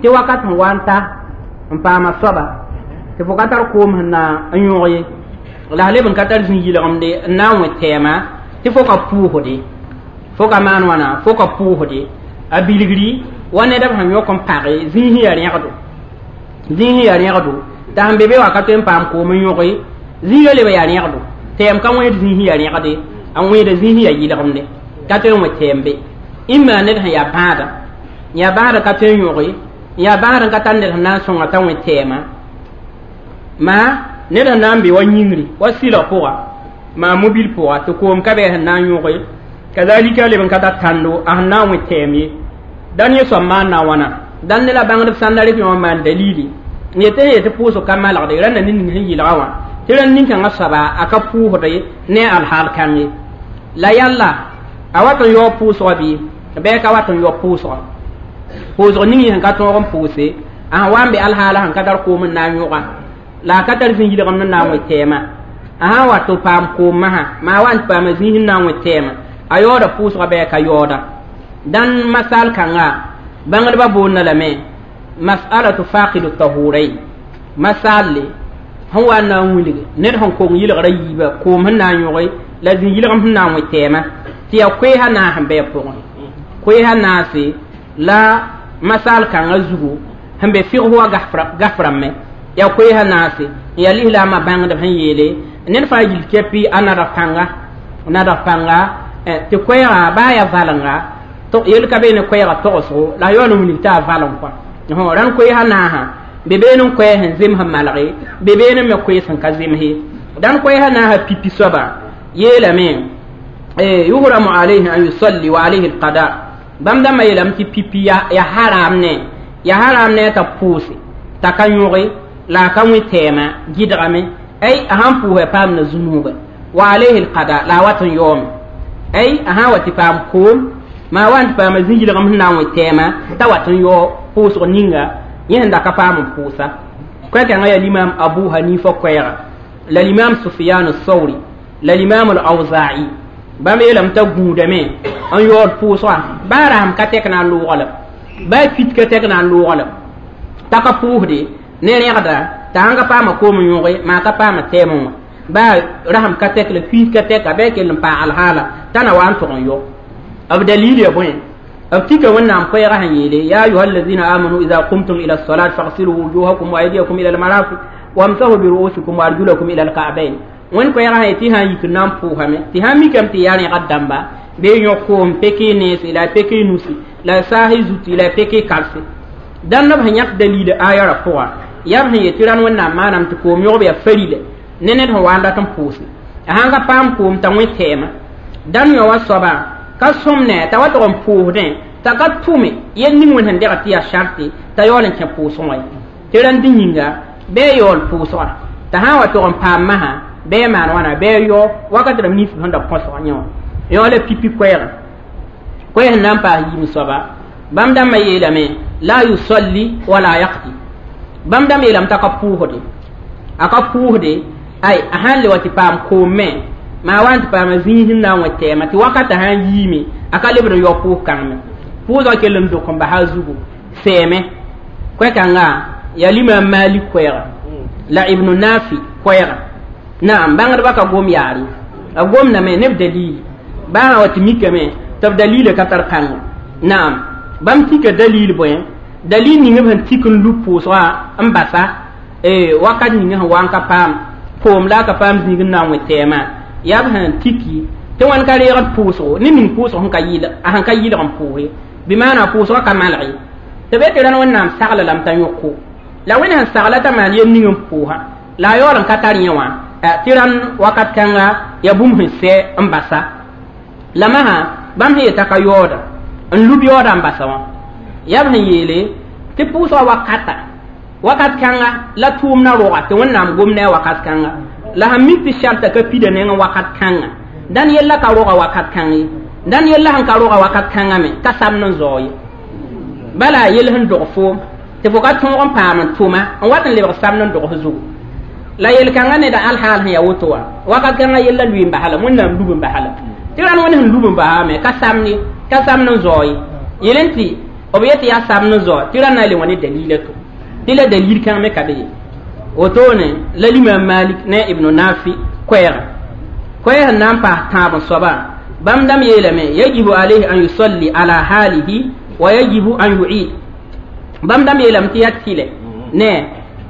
Tɩ wakat sẽn wa n ta n paama soaba tɩ fo ka tar koom sẽn na n yõg ye la leb n ka tar zĩ-yɩlgemde n na n wẽ tɛɛma tɩ fo ka pʋʋsde fo ka maan wãna fo ka pʋʋsde a bilgri wa ned b sẽn yõk n page zĩig sẽn yaa rẽgdo zĩig sẽn yaa rẽgdo t'a sẽn be be wã ka tõe n paam koom n yõge zĩigã leb yaa rẽgdo tɛɛm ka wẽed zĩig sẽn yaa rẽgde a wẽeda zĩig sẽn yaa yɩlgemde ka tõe n wẽ tɛɛm be ĩmma ned sẽn yaa bãada yaa bãada ka tõe n yõge yaa bãad n ka tar ned sẽn na n sõnga t'a wẽ tɛɛma maa ned sẽn na n be wa yĩngri wa sɩlg pʋga maa mobil pʋga tɩ koom ka bɩ sẽn na n yõge kazalika leb n ka tar tãndo a sẽn na n wẽ tɛɛm ye dãn yẽ soab maan na wãna dãn ne la bãngdb sãnda rɩk yõ n maan dalili n yetɩ sẽn yetɩ pʋʋsg ka malgde rãnda ne ning sẽn yɩlga wã tɩ rãnd nin-kãngã soaba a ka pʋʋsde ne alhaal kãng ye la yalla a wat n yaoog pʋʋsgã bɩ bɩ ka wat n yaoog pʋʋsgã pʋʋsg ning yẽ sẽn ka tõog n pʋʋse a sẽn wa n be alhaala sẽn ka tar koom n na n yõga la a ka tar zĩ-yɩlgem n na n wẽ tɛɛmã a sã n wa tɩ paam koom masã maa wa n tɩ paama zĩig n na n wẽ tɛɛmã a yaooda pʋʋsga bɩ a ka yaooda dãn masal kãnga bãngdbã boonda lame masalatu faqidu tahurain masalle sẽn wa n na n wilg ned sẽn kong yɩlgrã yiibã koom sẽn na n yõge la zĩ-yɩlgem sẽn na n wẽ tɛɛmã tɩ yaa koeesã naas n bɩ a pʋgẽ koeesã naase la masal kãngã zugu sẽn be fɩgs wa gaframe yaa koeesã naase n yaa lislaamã bãngdb sẽn yeele ned fãa yil kɛpɩ a nadg pãnga tɩ koɛɛga baa yaa valenga yel ka be ne koɛɛga togsgo la a yaool n wilg tɩ a valeng kɔa rãnd koeesã naasã be been n koɛɛ sẽn zems n malge be been n me koees sẽn ka zemse dãn koɛɛsã naasã pipi soaba yeelame yuhramu alayhi an yusalli wa alayhi alqada bãmb dãmbã yeelame tɩ pipi ya haram ne t'a pʋʋse t'a ka yõge la a ka wẽ tɛɛmã gɩdgame ay a sãn pʋʋsã paamda zũnuuba wa alayhi alqada la a wat n yaoome ay a sã n wa tɩ paam koom maa wa n tɩ paama zĩ-yɩlgem sẽn na n wẽ tɛɛmã t'a wat n yao pʋʋsg ninga yẽ sẽn da ka paam n pʋʋsa koɛ-kãngã yaa limam abu hanifa koɛɛga la limam sufyan sauri la limam al-awza'i bãmb yeelame t'a gũudame n yaood pʋʋsga baa rasem ka tɛk na n loogã la baa pit ka tɛk na n loogã la t'a ka pʋʋsde ne rẽgda t'a sãn ka paama koom n yõge maa ka paama tɛɛmẽ wã baa rasem ka tɛk la kuiis ka tɛka bɩ a kell n paa alhaala t'a na wa n tʋg n yao b dalil ya bõe b tika wẽnnaam koɛɛgã sẽn yeele ya ayuha alladina amanu ida qumtum ila lsalat faghsilu wujuhakum wa aydiyakum ila almarafiq wamsahu biruusikum wa arjulakum ila alka'bain wẽnd koɛɛgã sẽn tɩ sã n yik n na n pʋʋsame tɩ sã n mikame tɩ yaa rẽgd dãmba bee yõk koom pek y nense la y pek y nusi la y saas y zuti la y pek y kalse dãnd b sẽn yãk dalil aya ra pʋga yaa b sẽn yet tɩ rãnd wẽnnaam maanam tɩ koom yõgb yaa farila ne ned sẽn wa n dat n pʋʋse a sãn ka paam koom t'a wẽ tɛɛmã dãnd yõ wa soaba ka sõmne t'a wa tʋg n pʋʋsdẽ t'a ka tʋme yel ning wẽnd sẽn degd tɩ yaa sarte t'a yaool n kẽ pʋʋsg wã ye tɩ rãnd yĩnga bɩ a yaool pʋʋsga t'a sã n wa tʋg n paam masã bɩ a maan wãna bɩ a yao wakat rãmb nins sẽn da põsg yẽ wã yõ la pipi koɛɛga koɛɛ sẽn na n paas yiim soaba bãmb dãmbã yeelame la yusalli wala yaqdi bãmb dãmb yeelame t'a ka pʋʋsde a ka pʋʋsde ay a sãn le wa tɩ paam koom me maa wa n tɩ paama zĩig sẽn na n wẽ tɛɛmã tɩ wakatã sã n yiime a ka lebd n yao pʋʋs kãngme pʋʋsgã kell n dok n basa a zugu sɛɛme koɛ-kãnga yaa limam malik koɛɛga la ibnu nafi koɛɛga naam bãngdbã ka gom yaar ye a gomdame ne b dalil baa wa tɩ mikame tɩ b dalila ka tar pãnga naam bãmb tika dalil bõe dalil ning b sẽn tik n lub pʋʋsgã n basa wakat ning sẽn wa n ka paam koom la a ka paam zĩig n na n wẽ tɛɛmã yaa b sẽn tiki tɩ wãn ka reegd pʋʋsgo ne ning pʋʋsg sẽn ka yɩl a sẽn ka yɩlg n pʋʋse bɩ maana pʋʋsgã ka malg ye tɩ be tɩ rãnd wẽnnaam sagla lame t'a yõko la wẽnd sẽn sagla t'a maan yel ning n pʋʋsa la a yaool n ka tar yẽ wã tɩ rãnd wakat kãnga yaa bũmb sẽn sɛ n basa la masã bãmb sẽn yet'a ka yaooda n lub yaooda n basa wã yaa b sẽn yeele tɩ pʋʋsgã wakata wakat kãnga la tʋʋmdã roga tɩ wẽnnaam gom ne a wakat kãnga la sẽn mik tɩ sharta ka pida nengẽ wakat kãnga dãn yella ka roga wakat kãng ye dãn yella sẽn ka roga wakat kãngã me ka samd n zao ye bala yell sẽn dog foom tɩ fo ka tõog n paam n tʋma n wat n lebg samd n dogs zugu la yel-kãngã neda alhaal sẽn yaa woto wã wakat kãngã yella lʋɩ n basa la wẽnnaam lub n basa la tɩ rãnd wẽnd sẽn lub n basame ka samd n zao ye yel n tɩ b yet yaa sab ne zoa tɩ ra na n le wã ne dalila to tɩ la dalil kãng me ka be ye wotone la limam Malik ne Ibn Nafi koɛɛga koɛɛg n na n paas tãab n soaba bãmb dãmb yeelame yajibu alayhi an yusalli ala halihi wa yajibu an yu'id bãmb dãmb yeelame tɩ yaa tɩlɛ ne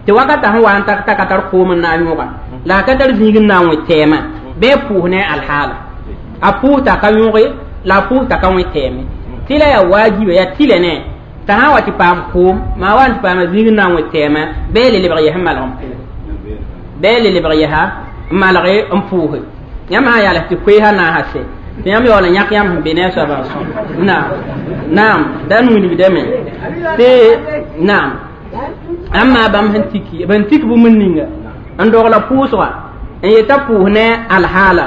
tɩ wakata sẽn wa n tak t'a ka tar koom n na n yõga la a ka tar zĩig n na n wẽ tɛɛmã bɩ a pʋʋs ne alhaala a pʋʋs t'a ka yõge la a pʋʋs t'a ka wẽ tɛɛme tɩ la yaa waajiba yaa tɩlɛ ne t'a sã n wa tɩ paam koom maa wa n tɩ paama zĩig n na n wẽ tɛɛmã bɩ le lebg yɛs n malg n pʋʋse bɩ le lebg yɛsa n malg n pʋʋse yãmb sã n yaals tɩ koeesã naasa sɛ tɩ yãmb yaool n yãk yãmb sẽn be ne a soabã n naam naam da n wilgdame tɩ naam amma bãmb sẽn tiki b sẽn tik bũmb ninga n dogla pʋʋsga n yeta pʋʋs ne alhaala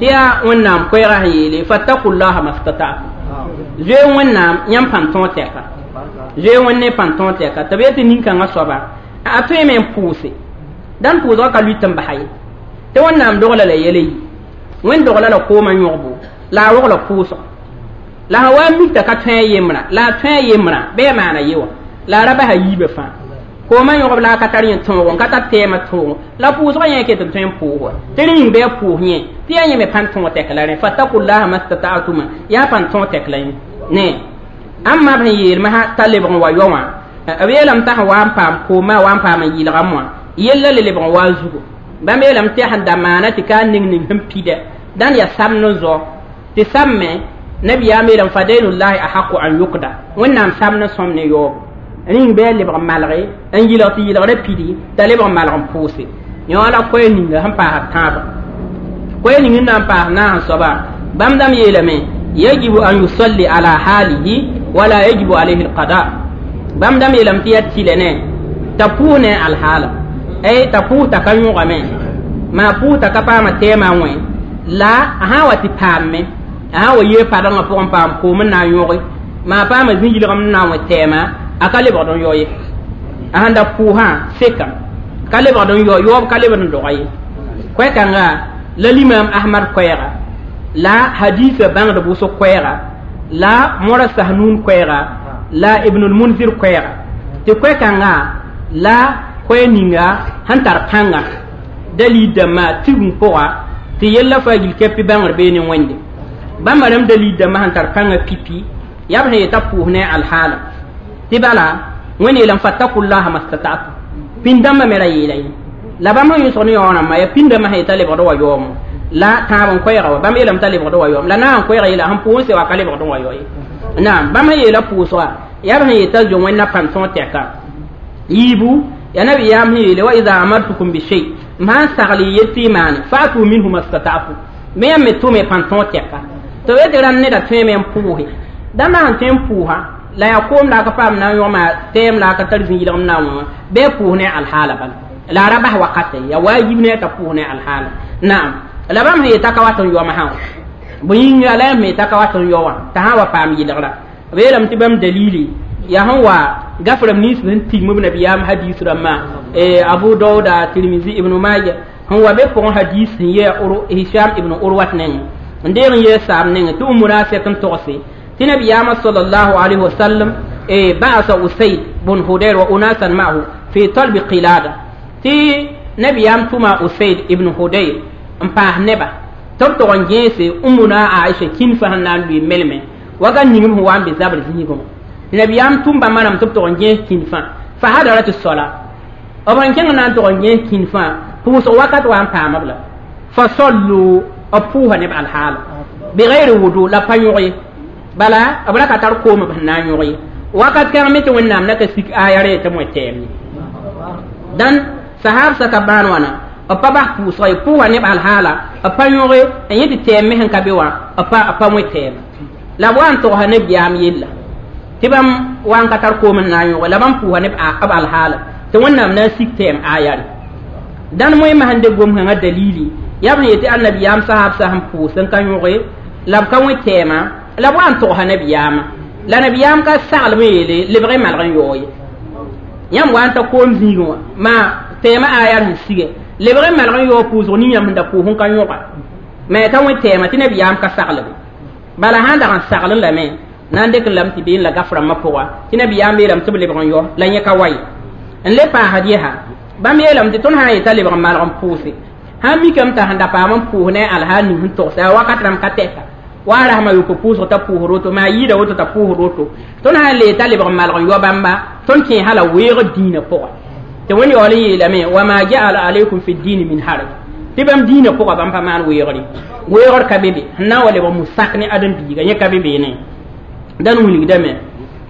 tɩ yaa wẽnnaam koɛɛgã sẽn yeele fattakullaha mastata'tum zoe wẽnnaam yãmb pãn tõog tɛka zoe wẽnd ne pãn tõog tɛka tɩ b yetɩ nin-kãngã soaba a tõeme n pʋʋse dãn pʋʋsgã ka lʋɩt n basa ye tɩ wẽnnaam dogla la yɛla yi wẽnd dogla la koomã yõgbo la a rogla pʋʋsga la sã wa n mik t'a ka tõe a yembrã la a tõe a yembrã bɩ a maana ye wã la a ra basa yiibã fãa koomã yõgb la a ka tar yẽ tõogo n ka tar tɛɛmã tõogo la pʋʋsgã yẽ ket n tõe n pʋʋs wa tɩ rẽ yĩng bɩ a pʋʋs yẽ tɩ yaa yẽ me pãn tõog tɛk la rẽ fattakullaha mastata'tuma yaa pãn tõog tɛk la yẽ ne ãmba b sẽn yeel masã t'a lebg n wa yao wã b yeelame t'a sẽn wa n paam koomã wa n paam n yɩlgame wã yella le lebg n waa zugu bãmb yeelame tɩ sẽn da maana tɩ ka ning ning sẽn pida dãn yaa sam ne zao tɩ sam me nabiyaam yeelame fa dainullahi ahaqu an yukda wẽnnaam sam ne sõm ne yaoobo rĩng bɩ a lebg n malge n yɩlg tɩ yɩlgrã pidi t'a lebg n malg n pʋʋse yõ la koɛɛ ninga sẽn paas tãabã koɛɛ ning n na n paas naas soaba bãmb dãmb yeelame yajibu an yusalli ala halihi wala yajibu alayhi alqada bãmb dãmb yeelame tɩ yaa tɩlɛ ne t'a pʋʋs ne alhaala ay t'a pʋʋs t'a ka yõgame maa pʋʋs t'a ka paama tɛɛmã wẽ la a sã n wa tɩ paame a sã n wa yee padengã pʋgẽ paam koom n na n yõge maa paama zĩ-yɩlgem n na n wẽ tɛɛmã a ka lebgd n yao ye a sẽn da pʋʋsã sekam ka lebgd n yao yaoob ka lebd n doga ye koɛ-kãnga la limam Ahmad koɛɛga la hadisa bãngd wʋsg koɛɛga la mora sahnun koɛɛga la Ibnul Munzir koɛɛga tɩ koɛ-kãnga la koɛ ninga sẽn tar pãnga dalil dãmbã tigum pʋga tɩ yella faa yil kɛpɩ bãngr bee ne wẽnde bãmba rãmb dalil dãmbã sẽn tar pãnga pipi yaa b sẽn yeta pʋʋs ne alhaala tɩ bala wẽnd yeelame fattakullaha mastata'tum pĩnd-dãmbã me ra yeela yẽ la bãmb sẽn yõsg ne yaoog rãmbã yaa pĩnd-dãmbã sẽn yeta lebgd wa yaoomo la tãab n koɛɛga wa bãmb yeelame t'a lebgd wa yaoom la naag n koɛɛga yeela sẽn pʋʋs n se wa ka lebgd n wa yao ye naam bãmb sẽn yeela pʋʋsga yaa b sẽn yeta zo wẽnna pãn tõog tɛka yiibu yaa nabiyaam sẽn yeele wa ida amartukum bishay m sãn sagl y yet tɩ y maane fa'atu minhu mastata'tum me yãmb me tʋme pãn tõog tɛka tɩ b yetɩ rãmb neda tõeme n pʋʋse dãmba sẽn tõe n pʋʋsa la yaa koom la a ka paam na n yõgma tɛɛm la a ka tar zĩ-yɩlgem na n wẽ wã bɩ a pʋʋs ne alhaala bala la a ra bas wakate yaa waajib ne t'a pʋʋs ne alhaala naam la bãmb sẽn yeta ka wat n yaoma sã bõe yĩnga la yãmb me yeta ka wat n yao wã t'a sã n wa paam yɩlgra b yeelame tɩ bãmb dalili yaa sẽn wa gaframe nins sẽn tigm b nabiyaam hadis rãmbã Abu Dauda Tirmizi Ibnu Maja sẽn wa be pʋgẽ hadis sẽn yɛ Hisham ibn Urwat nengẽ n deeg n yee saam nengẽ tɩ umra sɛk n togse tɩ nabiyaamã sallallahu alayhi wa sallam ba'asa Usayd bun Hudair wa unasan ma'ahu fi talbi qilada tɩ nabiyaam tʋma Usayd ibn Hudair n paas neba tɩ b tog n gẽese Ummuna Aisha kĩnfã sẽn na n lʋɩ melme wakat ning b sẽn wa n be zabr zĩigẽ wã nabiyaam tʋm bãmba rãmb tɩ b tog n gẽes kĩnfã fa hadarat sola b sẽn kẽng na n tog n gẽes kĩnfã pʋʋsg wakat wa n paam b la fa sallu b pʋʋsa neb alhaala bigayri wudu la pa yõg ye bala b ra ka tar koom b sẽn na n yõg ye wakat kãng me tɩ wẽnnaam na ka sik aya re tɩ moe tɛɛm ye dãn sahab saka bãan wãna b pa bas pʋʋsga ye pʋʋsa neb alhaala b pa yõge n yẽ tɩ tɛɛm me sẽn ka be wã b pa moe tɛɛm la b wa n togsa nabiyaam yella tɩ bãmb wa n ka tar koom n na n yõge la bãmb pʋʋsa neb b alhaala tɩ wẽnnaam na n sik tɛɛm aya re dãn moẽmã sẽn de gom-kãngã dalili yaa b sẽn yetɩ annabiyaam sahab sa sẽn pʋʋs n ka yõge la b ka wẽ tɛɛmã la b wa n togsa nabiyaamã la nabiyaam ka saglem n yeele lebg y malg n yaoo ye yãmb wa n ta koom zĩigẽ wã maa tɛɛmã aya sẽn sige lebg y malg n yaoo pʋʋsg ning yãmb sẽn da pʋʋs n ka yõga me ka wẽ tɛɛmã tɩ nabiyaam ka saglbe bala sãn dag n saglẽ lame Na n dɩk lame tɩ been la gaf rãmbã pʋga tɩ nabiyaam yeelame tɩ b lebg n yɔ la yẽ ka wa ye n le paasd yesa bãmb yeelame tɩ tõnd sã n yeta lebg n malg n pʋʋse sãn mikame t'a sẽn da paam n pʋʋs ne alhaal ning sẽn togsa a wakat rãmb ka tɛka wa rasma yopo pʋʋsg t'a pʋʋsd woto maa yɩɩda woto t'a pʋʋsd woto tõnd sã n le t'a lebg n malg n yɔ bãmba tõnd kẽesa la weegd dĩinã pʋga tɩ wẽnd yaool n yeelame wa ma jaala alaykum fi dini min haraj tɩ bãmb dĩinã pʋga bãmb pa maan weegre weegr ka be be sẽn na n wa lebg musak ne ãdem-biiga yẽ ka be beene dãn wilgdame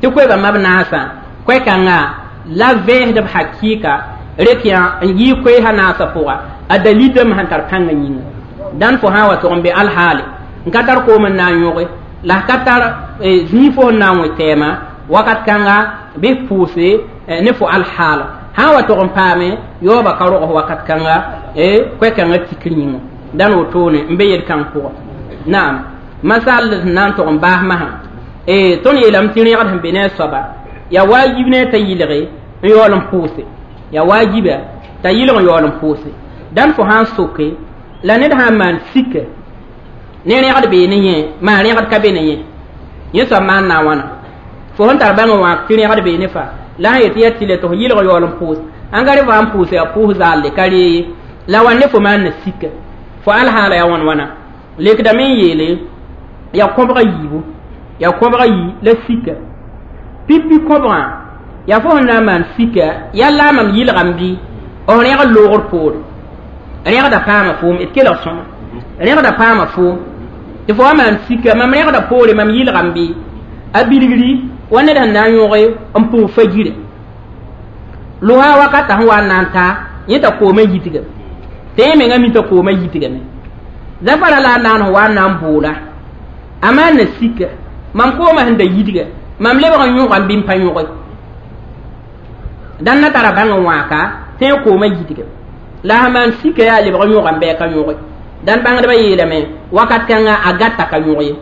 tɩ koɛɛga mab naasã koɛ-kãnga la vẽesdb hakɩɩka rek yã n yɩ koeesã naasã pʋga a dalildame sẽn tar pãngã yĩnga dãn fo sã n wa tʋg n be alhaale n ka tar koom n na n yõge la ka tar zĩig fo sẽn na n wẽ tɛɛmã wakat kãnga bɩ pʋʋse ne fo alhaala sã n wa tʋg n paame yaooba ka rog wakat kãnga koɛ-kãngã tikr yĩnga dãn wotone n be yel-kãng pʋga naam masal sẽn na n tʋg n baas masã tõnd yeelame tɩ rẽgd sẽn be ne a soaba yaa waajib ne t'a yɩlge n yaool n pʋʋse yaa waajiba t'a yɩlg n yaool n pʋʋse dãn fo sã n soke la ned sã n maan sika ne rẽgd bee ne yẽ maa rẽgd ka be ne yẽ yẽ soab maan na n wãna fo sẽn tar bãng n wãak tɩ rẽgd bee ne fa la sã yetɩ yaa tɩlɛ tɩ fo yɩlg yaool n pʋʋs ãngare fo sãn pʋʋse yaa pʋʋs zaalle ka ree ye la wa ne fo maan na sika fo alhaala yaa wãn wãna lekdame n yeele yaa kõbga yiibu yaa kõbga yi la sika pipi kõbgã yaa fo sẽn na n maan sika yaa la mam yɩlgame bɩ f rẽgd loogr poore rẽgda paama foom d kelg sõma rẽgda paama foom tɩ fo wa maan sika mam rẽgda poore mam yɩlgame bɩ a bilgri wa ned sẽn na n yõge n pʋg fajira lʋsa wakata sẽn wa n na n ta yẽ t'a koomã yitgame tɩ yẽ mengã mi t'a koomã yitgame zafara la a naan sẽn wa n na n boola a maan na sika mam koomã sẽn da yidga mam lebg n yõgame bɩ n pa yõge dãn na tara bãng n wãaka tɩ yẽ koomã yidga la sã maan sika yaa lebg n yõgame bɩ a ka yõge dãn bãngdbã yeelame wakat kãnga a gad t'a ka yõg ye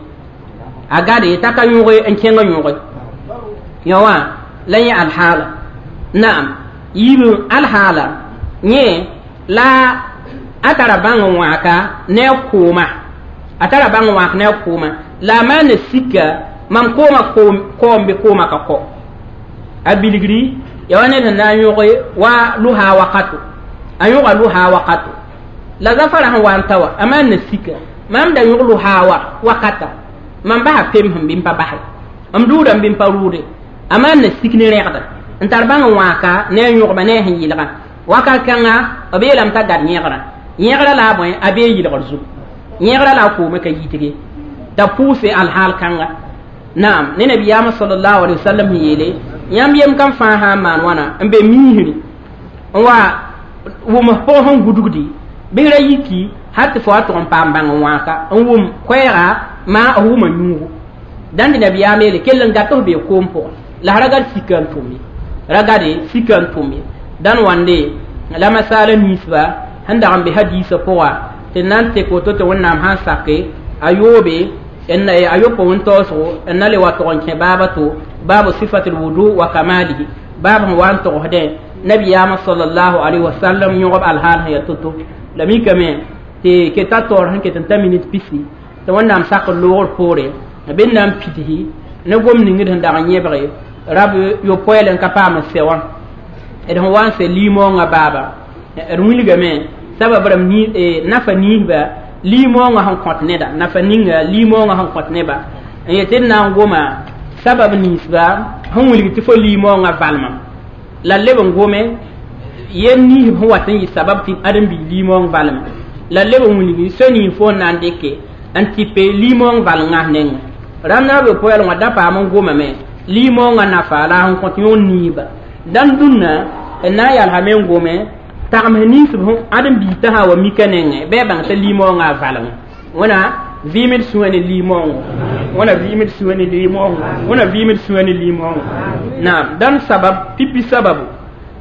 a gade t'a ka yõge n kẽng yõge yã wã la yẽ alhaala naam yiib alhaala yẽ la a tara bãng n wãaka ne a kooma a tara bãng n wãak ne a kooma la a maan na sika mam kooma koom bɩ kooma ka kɔ a bilgri ya wa ned sẽn na n yõge wa lʋsa wakato a yõga lʋsa wakato la zafara sẽn wa n ta wa a maan na sika mam da yõg lʋsa wa wakata mam basa pem sẽn bɩ n pa base m dʋʋdame bɩ n pa rʋʋde a maan na sik ne rẽgda n tar bãng n wãaka ne a yõgma ne a sẽn yɩlgã wakat kãnga b yeelame t'a gad yẽgrã yẽgrã la a bõe a bee yɩlgr zugu yẽgrã la a koomã ka yitge t'a pʋʋse alhaal kãnga naam ne nabiyaamã sallallahu alaihi wasallam sẽn yeele yãmb yem kam fãa sã n maan wãna n be miisri n wa wʋms pʋg sẽn gudgdi bɩ ra yiki hal tɩ fo wa tʋg n paam bãng n wãaka n wʋm koɛɛga maa f wʋma yũugu dãn tɩ nabiyaam yeele kell n gat f bee koom pʋgẽ la ra gad sika n tʋm ye ra gade sika n tʋm ye dãn wãnde la masaala ninsba sẽn dag n be hadiisã pʋga tɩ na n tek woto tɩ wẽnnaam sã n sake a yoobe a yopo wẽn-taoosgo n na le wa tʋg n kẽ baaba to baabu sifat lwudu wa kamalihi baab sẽn wa n togsdẽ nabiyaamã salallahu alaihi wasallam yõgb alhaal sẽn yaa to-to la mikame tɩ keta taoor sẽn ket n ta minit pisi tɩ wẽnnaam sak n loogr poore b na n pidsi ne gom ningd sẽn dag n yẽbge rab yopoɛɛl n ka paam n sɛ wã d sẽn wa n sɛ liimoongã baaba d wilgame sabab rãmb nafa niisba liimoongã sẽn kõt neda nafa ninga liimoongã sẽn kõt neba n yetɩ d na n goma sabab ninsba sẽn wilg tɩ fo liimoongã valma la leb n gome yel niisb sẽn wat n yɩ sabab tɩ ãdem-biig liimoong valma la leb n wilgi so ning fo n na n dɩke n tɩ pe liimoong val-ŋas nengẽ rãmb na b yopoɛɛl wã da paam n gomame liimoongã nafa la sẽn kõt yõor niisba dãn dũnna n na n yalsame n gome tagms ninsb ãdem-biig t'a sã wa mika nengẽ bɩ a bãng t'a liimoongã a valengẽ wẽna vɩɩmd sũwã ne liimoongo wẽna vɩɩmd sũwã ne liimoongo wẽna vɩɩmd sũwã ne liimoongo naam dãn sabab pipi sababu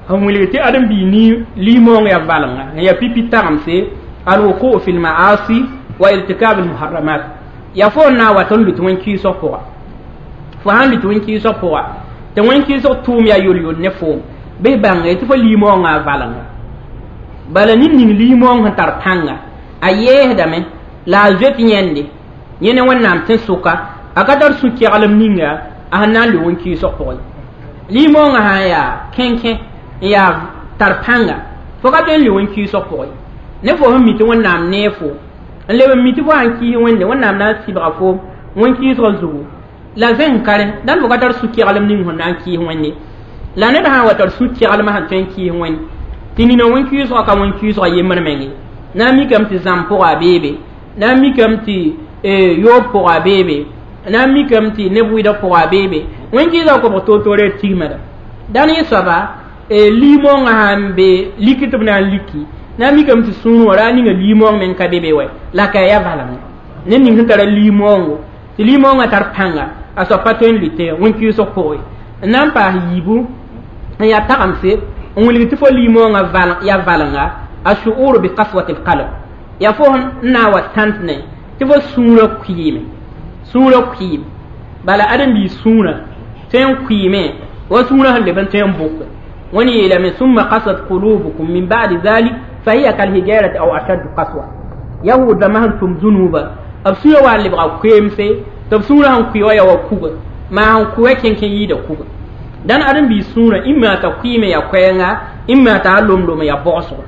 sẽn wilg tɩ ãdem-biig liimoong yaa valenga n yaa pipi tagemse alwuku fi lmaasi wa irtikab almuharramat yaa fo n na n wat n lut wẽn-kɩɩsg pʋga fo sãn lut wẽn-kɩɩsg pʋga tɩ wẽn-kɩɩsg tʋʋm yaa yol-yol ne foom bɩ bãnge tɩ fo liimoongã a valenga bala ned ning liimoong sẽn tar pãnga a yeesdame la a zoet yẽnde yẽ ne wẽnnaam tẽn-sʋka A ka tar sũ-keglem ninga a sẽn na n lʋ wẽn-kɩɩsg pʋgẽ. Limoongã sã n yaa kẽnkẽ n yaa tar pãnga, fo ka tõe n lʋ wẽn-kɩɩsg pʋgẽ. Ne fo sẽn mi tɩ Wẽnnaam nee fo n leb n mi tɩ fo sãn kɩɩs Wẽnde, Wẽnnaam na n sɩbga foom wẽn-kɩɩsgã zugu la zẽng ka rẽ. Dãn fo ka tar sũ-keglem ning sẽn na n kɩɩs Wẽnde. La ned sã n wa tar sũ-keglem sẽn tõe n kɩɩs Wẽnd tɩ nina wẽn-kɩɩsgã ka wẽn-kɩɩsgã yembr menge, na n mikame tɩ zãmb pʋga beebe, na n mikame tɩ yoob pʋga beebe, na n mikame tɩ neb wɩdg pʋga beebe, wẽn-kɩɩsgã kobg toor-toore tigmda. Dãn yẽ soaba limoongã sãn be liki tɩ b na n liki, na n mikame tɩ sũur wã ra ninga limoong meng ka be be wɛ la ka ya valeng. Ned ning sẽn tara limoongo tɩ limoongã tar pãnga, a soab pa tõe n lʋɩ wẽn-kɩɩsg pʋgẽ. N na n paas yiibu n yaa tagemse n wilg tɩ fo limoongã ya valenga, a shu'ur bi qaswati alqalb, ya fo n na n wa tãnt ne tɩ fo sũurã kʋɩɩme, sũurã kʋɩɩme. Bala ãdem-biis sũurã tõe n kʋɩɩme wa sũurã sẽn leb n tõe n bʋke. Wẽnd yeelame summa qasat qulubukum min ba'di dhalik fahiya kalhijarati aw ashaddu qaswa. Yahud rãmbã sẽn tʋm zũnuuba, b sũurã wa n lebga koeemse tɩ b sũurã sẽn kʋɩ wa ya wa kuga, maa sẽn kʋ wa kẽnkẽ yɩɩda kuga. Dãn ãdem-biis sũurã ĩmma t'a kʋɩɩme ya koɛɛnga, ĩmma t'a lomlom ya bogosgo.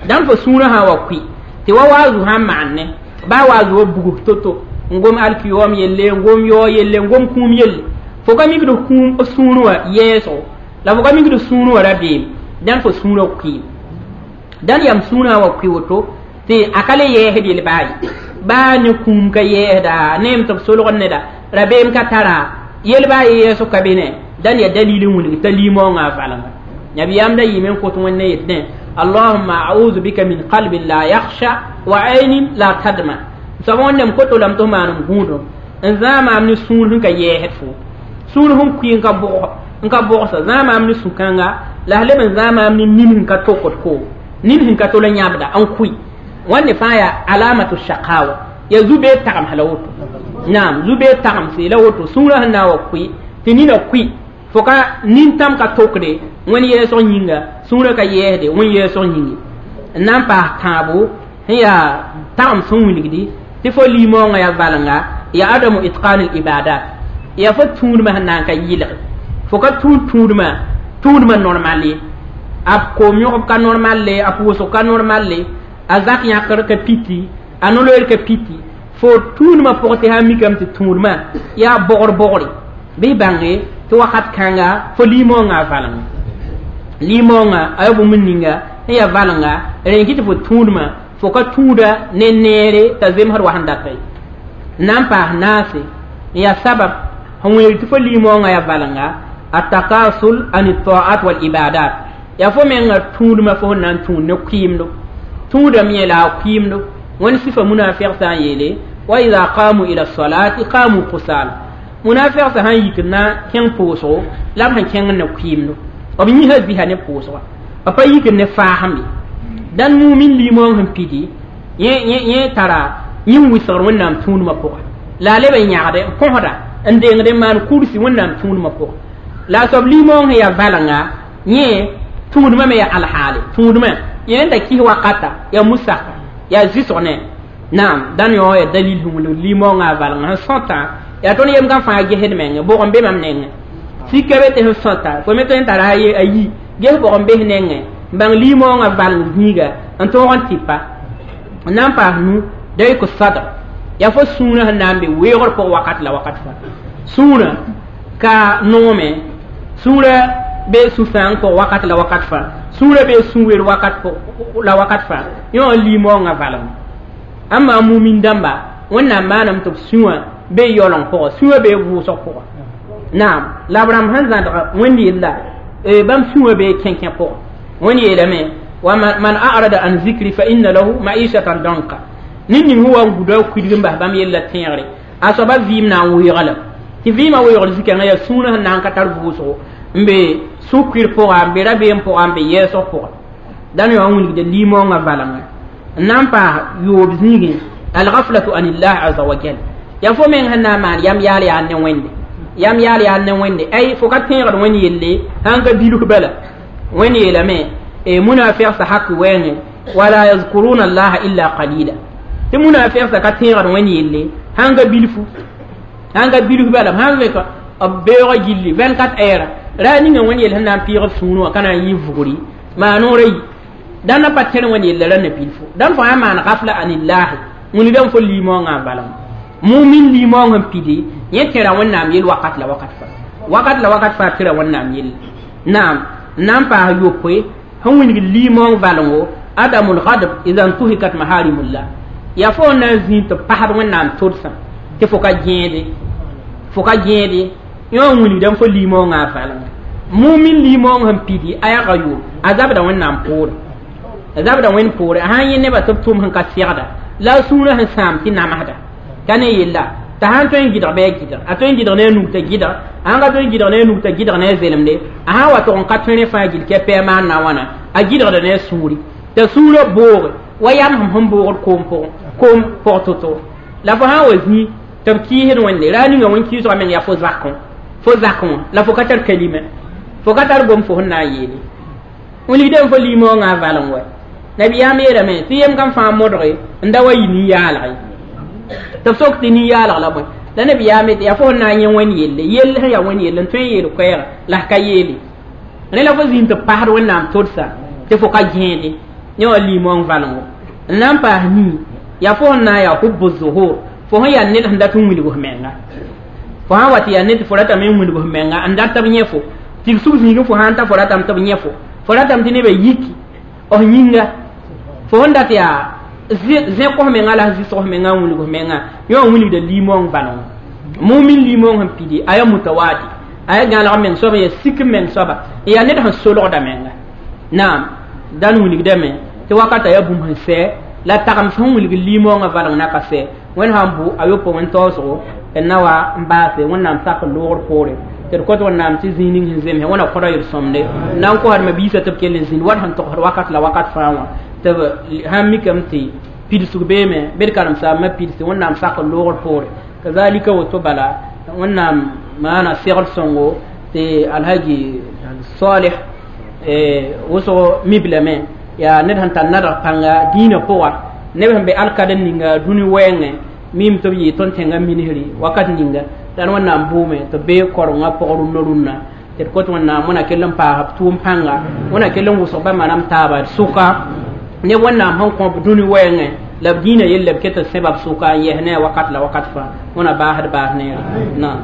Dãn fo sũurã sã n wa kʋɩ tɩ wa waazu sã n maan ne baa waazu wa bugs to-to n gom alkiyoom yelle, n gom yaoog yelle, n gom kũum yelle, fo ka mikd kũum sũurẽ wã yɛɛsgo la fo ka mikd sũurẽ wã rabeem, dãn fo sũurã kʋɩɩm. Dãn yam sũurã wa kʋɩ woto tɩ a ka le yɛɛsd yel baa ye, baa ne kũum ka yɛɛsda, neem tɩ b solgd neda, rabeem ka tara yel baa ye yɛɛsg ka be ne. Dãn yaa dalil n wilg t'a limoongã a valenga. Nabiyaam da yɩɩme n kot Wẽnde yet ne allahumma a'udhu bika min qalbin la yakhsha wa aynin la tadma. Soab Wẽnnaam koto lame tɩ f maanam gũudum n zãag maam ne sũur sẽn ka yɛɛsd fo, sũur sẽn kʋɩ n ka bogsa, zãag maam ne sũ-kãnga la s leb n zãag maam ne nin sẽn ka tokd ko, nin sẽn ka tol n yãbda n kʋɩ. Wãnde fãa yaa alamatu shaqawa, yaa zu-beed tagemsã la woto. Naam, zu-beed tagemse la woto, sũurã sẽn na n wa kʋɩ tɩ nina kʋɩ fo ka nintãm ka tokde wẽnd yɛɛsg yĩnga, sũurã ka yɛɛsde wẽnd yɛɛsg yĩnge. N na n paas tãabo sẽn yaa tagem sẽn wilgdi tɩ fo limoongã yaa valenga, yaa adamu itqan al ibadat, yaa fo tũudmã sẽn na n ka yɩlge, fo ka tũud tũudmã normal ye, a koom yõgb ka normal le, a pʋʋsg ka normal le, a zak yãkr ka piti, a no-loeer ka piti, fo tũudmã pʋgẽ tɩ sã n mikame tɩ tũudmã yaa bogr bogre, bɩ bãnge tɩ wakat kãnga fo limoongã a valenga. Limoongã a yaa bũmb ninga sẽn yaa valenga rẽn kɩ tɩ fo tũudmã fo ka tũuda ne neere t'a zemsd wa sẽn data ye. N na n paas naase n yaa sabab sẽn wilg tɩ fo limoongã yaa valenga, atakasul an taat wal ibadat, yaa fo menga tũudmã fo sẽn na n tũud ne kʋɩɩmdo, tũudame yẽ la a kʋɩɩmdo. Wẽnd sɩfa munafiq sã n yeele wa ida qamu ila salati qamu kusala, munafiq sã n yik na kẽng pʋʋsgo la b sẽn kẽng ne kʋɩɩmdo, b yĩsã zɩsa ne pʋʋsga, b pa yik ne faasem ye. Dãn mumin limoong sẽn pidi yẽ tara yĩn wɩsgr Wẽnnaam tũudmã pʋgã, la a leb n yãgde n kõsda n dengd n maan kursi Wẽnnaam tũudmã pʋgã. La a soab limoong sẽn yaa valenga yẽ tũudmã me yaa alhaale, tũudmã yẽ da kis wakata yaa musaka yaa zɩsg ne. Naam, dãn yõ yaa dalil sẽn wilg limoongã a valenga sẽn sõta yaa tõnd yem gã fãa gesd menge bʋg n be mam nengẽ sika be tɩ sẽn sõta fo me tõe n tara a yi ges bʋg n bes nengẽ n bãng limoongã valeng zĩiga n tõog n tɩpa. N na n paas nu dayk sadr, yaa fo sũurã sẽn na n be weoogr pʋg wakat la wakat fãa. Sũurã ka noome, sũurã be sũ-sãang pʋg wakat la wakat fãa, sũurã be sũ-wer wakat la wakat fãa, yõ n limoongã valeng. Amma mumin dãmba Wẽnnaam maanam tɩ b sũwã be yaooleng pʋgã, sũwã be vʋʋsg pʋgã. Naam, la b rãmb sẽn zãdg Wẽnd yella bãmb sũwã be kẽnkẽ pʋgã. Wẽnd yeelame wa man a'rada an zikri fa inna lahu ma'ishatan danka, ned ning sẽn wa n guda kuidg n bas bãmb yella tẽegre, a soaba vɩɩm na n weoogã tɩ vɩɩmã weoogr zikãngã yaa sũurã sẽn na n ka tar vʋʋsgo n be sũ-kuir pʋga, n be rabeem pʋga, n be yɛɛsg pʋga. Dãn yõ n wilgda limoongã valenga. N na n paas yoob zĩigẽ alghaflatu anillah aza wa jal, yaa fo meng sẽn na n maan yam yaal yaa ne Wẽnde, yam yaal yaa ne Wẽnde, ay fo ka tẽegd Wẽnd yelle sãn ka bilf bala. Wẽnd yeelame munafiq sa hak wɛɛngẽ wala yazkuruna allaha illa qalila, tɩ munafiq sa ka tẽegd Wẽnd yelle sãn ka bilfu. Sãn ka bilf bala b sãn vẽk b beoogã gilli 24 heures ra ninga wẽnd yell sẽn na n pɩɩg b sũurẽ wã ka na n yɩ vugri maa noorã yi dãn na pa tẽr wẽnd yella rãnda bilfu dãn fo sã n maan gafla anillahi wilgdame fo limoongã n valem mumin limoong sẽn pidi yẽ tẽra wẽnnaam yell wakat la wakat faa wakat la wakat faa tẽra wẽnnaam yelle naam n na n paas yopoe sẽn wilgd limoong valengo adamul gadb ida ntuhikat maharimullah yaa fo n na n zĩig tɩ pasd wẽnnaam todsã tɩ fo ka gẽede fo ka gẽede yõ n wilgdame fo limoongã a valenga mumin limoong sẽn pidi a yaa yo a zabda wẽnnaam poore a zabda wẽnd poore a sã n yẽ nebã tɩ b tʋm sẽn ka segda la a sũurã sẽn sãam tɩ namsda ka ne yella t'a sãn tõe n gɩdg bɩ a gɩdg a tõe n gɩdg ne a nug t'a gɩdg a sãn ka tõe n gɩdg ne a nug t'a gɩdg ne a zelemde a sã n wa tog n ka tõe rẽ fãa gill kɛ pɛɛ maan na wãna a gɩdgda ne a sũuri t'a sũurã booge wa yam sẽm sẽn boogd koom pʋgẽ koom pʋg to-to la fo sã n wa zĩ tɩ b kɩɩsd wẽnde ra ninga wẽn-kɩɩsgã meng yaa fo zakẽ fo zakẽ wã la fo ka tar kalima fo ka tar gom fo sẽn na n yeele wilgdame fo limoongã a valeng wa nabiyaam yeelame tɩ yem kam fãa modge n da wa yɩ nin-yaalg ye tɩ b sok tɩ nin-yaalg la bõe la nabiyaam tɩ yaa fo sẽn na n yẽ wẽnd yelle yell sẽn yaa wẽnd yelle n tõe n yeel koɛɛga la f ka yeele rẽ la fo zĩig tɩ pasd wẽnnaam todsa tɩ fo ka gẽede yẽ wã limoong valengo n na n paas nii yaa fo sẽn na n yaa hubu zuhur fo sẽn yaa ned sẽn dat n wilg f menga fo sã n wa tɩ yaa ned tɩ fo ratame n wilg f menga n dat tɩ b yẽ fo tɩ b sug zĩigẽ fo sã n ta fo ratame tɩ b yẽ fo fo ratame tɩ nebã yiki f yĩnga fo sẽn dat yaa zẽk f menga la zɩsg f menga n wilg f menga yõ n wilgda limoong valengo mumin limoong sẽn pidi a yaa mutawadi a yaa gãalg meng soaba yaa sik meng soaba n yaa ned sẽn solgda menga naam dãn wilgdame tɩ wakata yaa bũmb sẽn sɛ la tagem sẽn wilg limoongã valeng na ka sɛ wẽnd sãn bʋ a yopo wẽn taoosgo n na wa n baase wẽnnaam sak n loogr poore tɩ d kõt wẽnnaam tɩ zĩig ning sẽn zemse wẽna kõda yel-sõmde n na n kosdmã biisã tɩ b kell n zĩnd wat sẽn togsd wakat la wakat fãa wã tɩ b sãn mikame tɩ pidsg beeme bɩ d karen-saambã pidse wẽnnaam sak n loogr poore kazalika woto bala wẽnnaam maana segd sõngo tɩ alhaji salih wʋsg miblame yaa ned sẽn tar nadg pãnga dĩinã pʋga neb sẽn be alkad n ninga dũni wɛɛngẽ mim tɩ b yɩɩ tõnd tẽngã minisri wakat ninga dãn wẽnnaam bʋʋme tɩ b bee korengã pʋg rũnnã rũnnã tɩ d kot wẽnnaam wẽna kell n paas b tʋʋm pãnga wẽna kell n wʋsg ba manam taaba d sʋka neb wẽnnaam sẽn kõ b dũni wɛɛngẽ la b dĩinã yella b ket n sẽba b sʋka n yɛs ne a wakat la wakat fãa wẽna baasd baas neere naam.